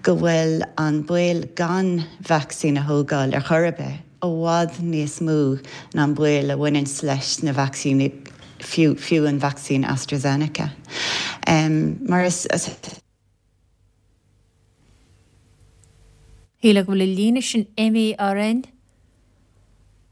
go bhfuil an baol gan vacsaín a thógáil ar chor ar bith i bhfad níos mó ná an baol a bhaineanns leis na vacsaíní, fiú, fiú an vacsaín AstraZeneca. Mar is. Shílfeá go bhfuil an líne sin imithe orainn.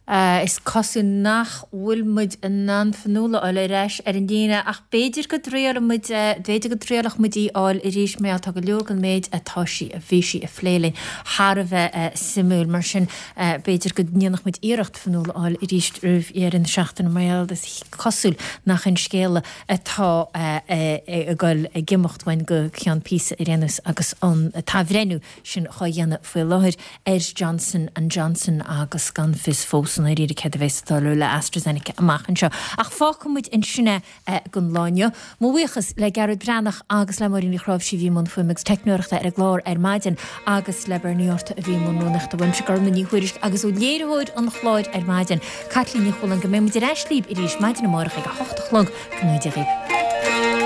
Is cosúil nach bhfuil muid in ann Fionnuala a fháil ar ais ar an líne ach b'fhéidir go dtriailfidh muid, b'fhéidir go dtriailfeadh muid í a fháil arís mar gheall tá go leor den méid atá sí, a bhí sí a phlé linn thar a bheith suimiúil. Mar sin b'fhéidir go ndéanfadh muid iarracht Fionnuala a fháil arís roimh dheireadh na seachtaine mar gheall is cosúil nach in scéala atá ag dul ag imeacht uainn go ceann píosa ar aon nós agus an t-athbhreithniú sin dhá dhéanamh faoi láthair ar Johnson and Johnson agus gan fios fós i ndáiríre céard a bheas ag tarlú le AstraZeneca amach anseo. Ach fágfaidh muid ansin é don lá inniu. Mo bhuíochas le Gearóid Breathnach agus le Máirín Uí Chráimhsí a bhí i mbun fuaime agus teicneoireachta ar an gclár ar maidin agus le Bernie Orta a bhí i mbun rúnaíochta. Uaimse Gormlaith Ní Thuairisg agus ó léiritheoir an chláir ar maidin, Caitlín Ní Chualáin, go mbeidh muid ar ais libh arís maidin amárach ag a hocht a chlog. Go ngnóthaí Dia dhaoibh.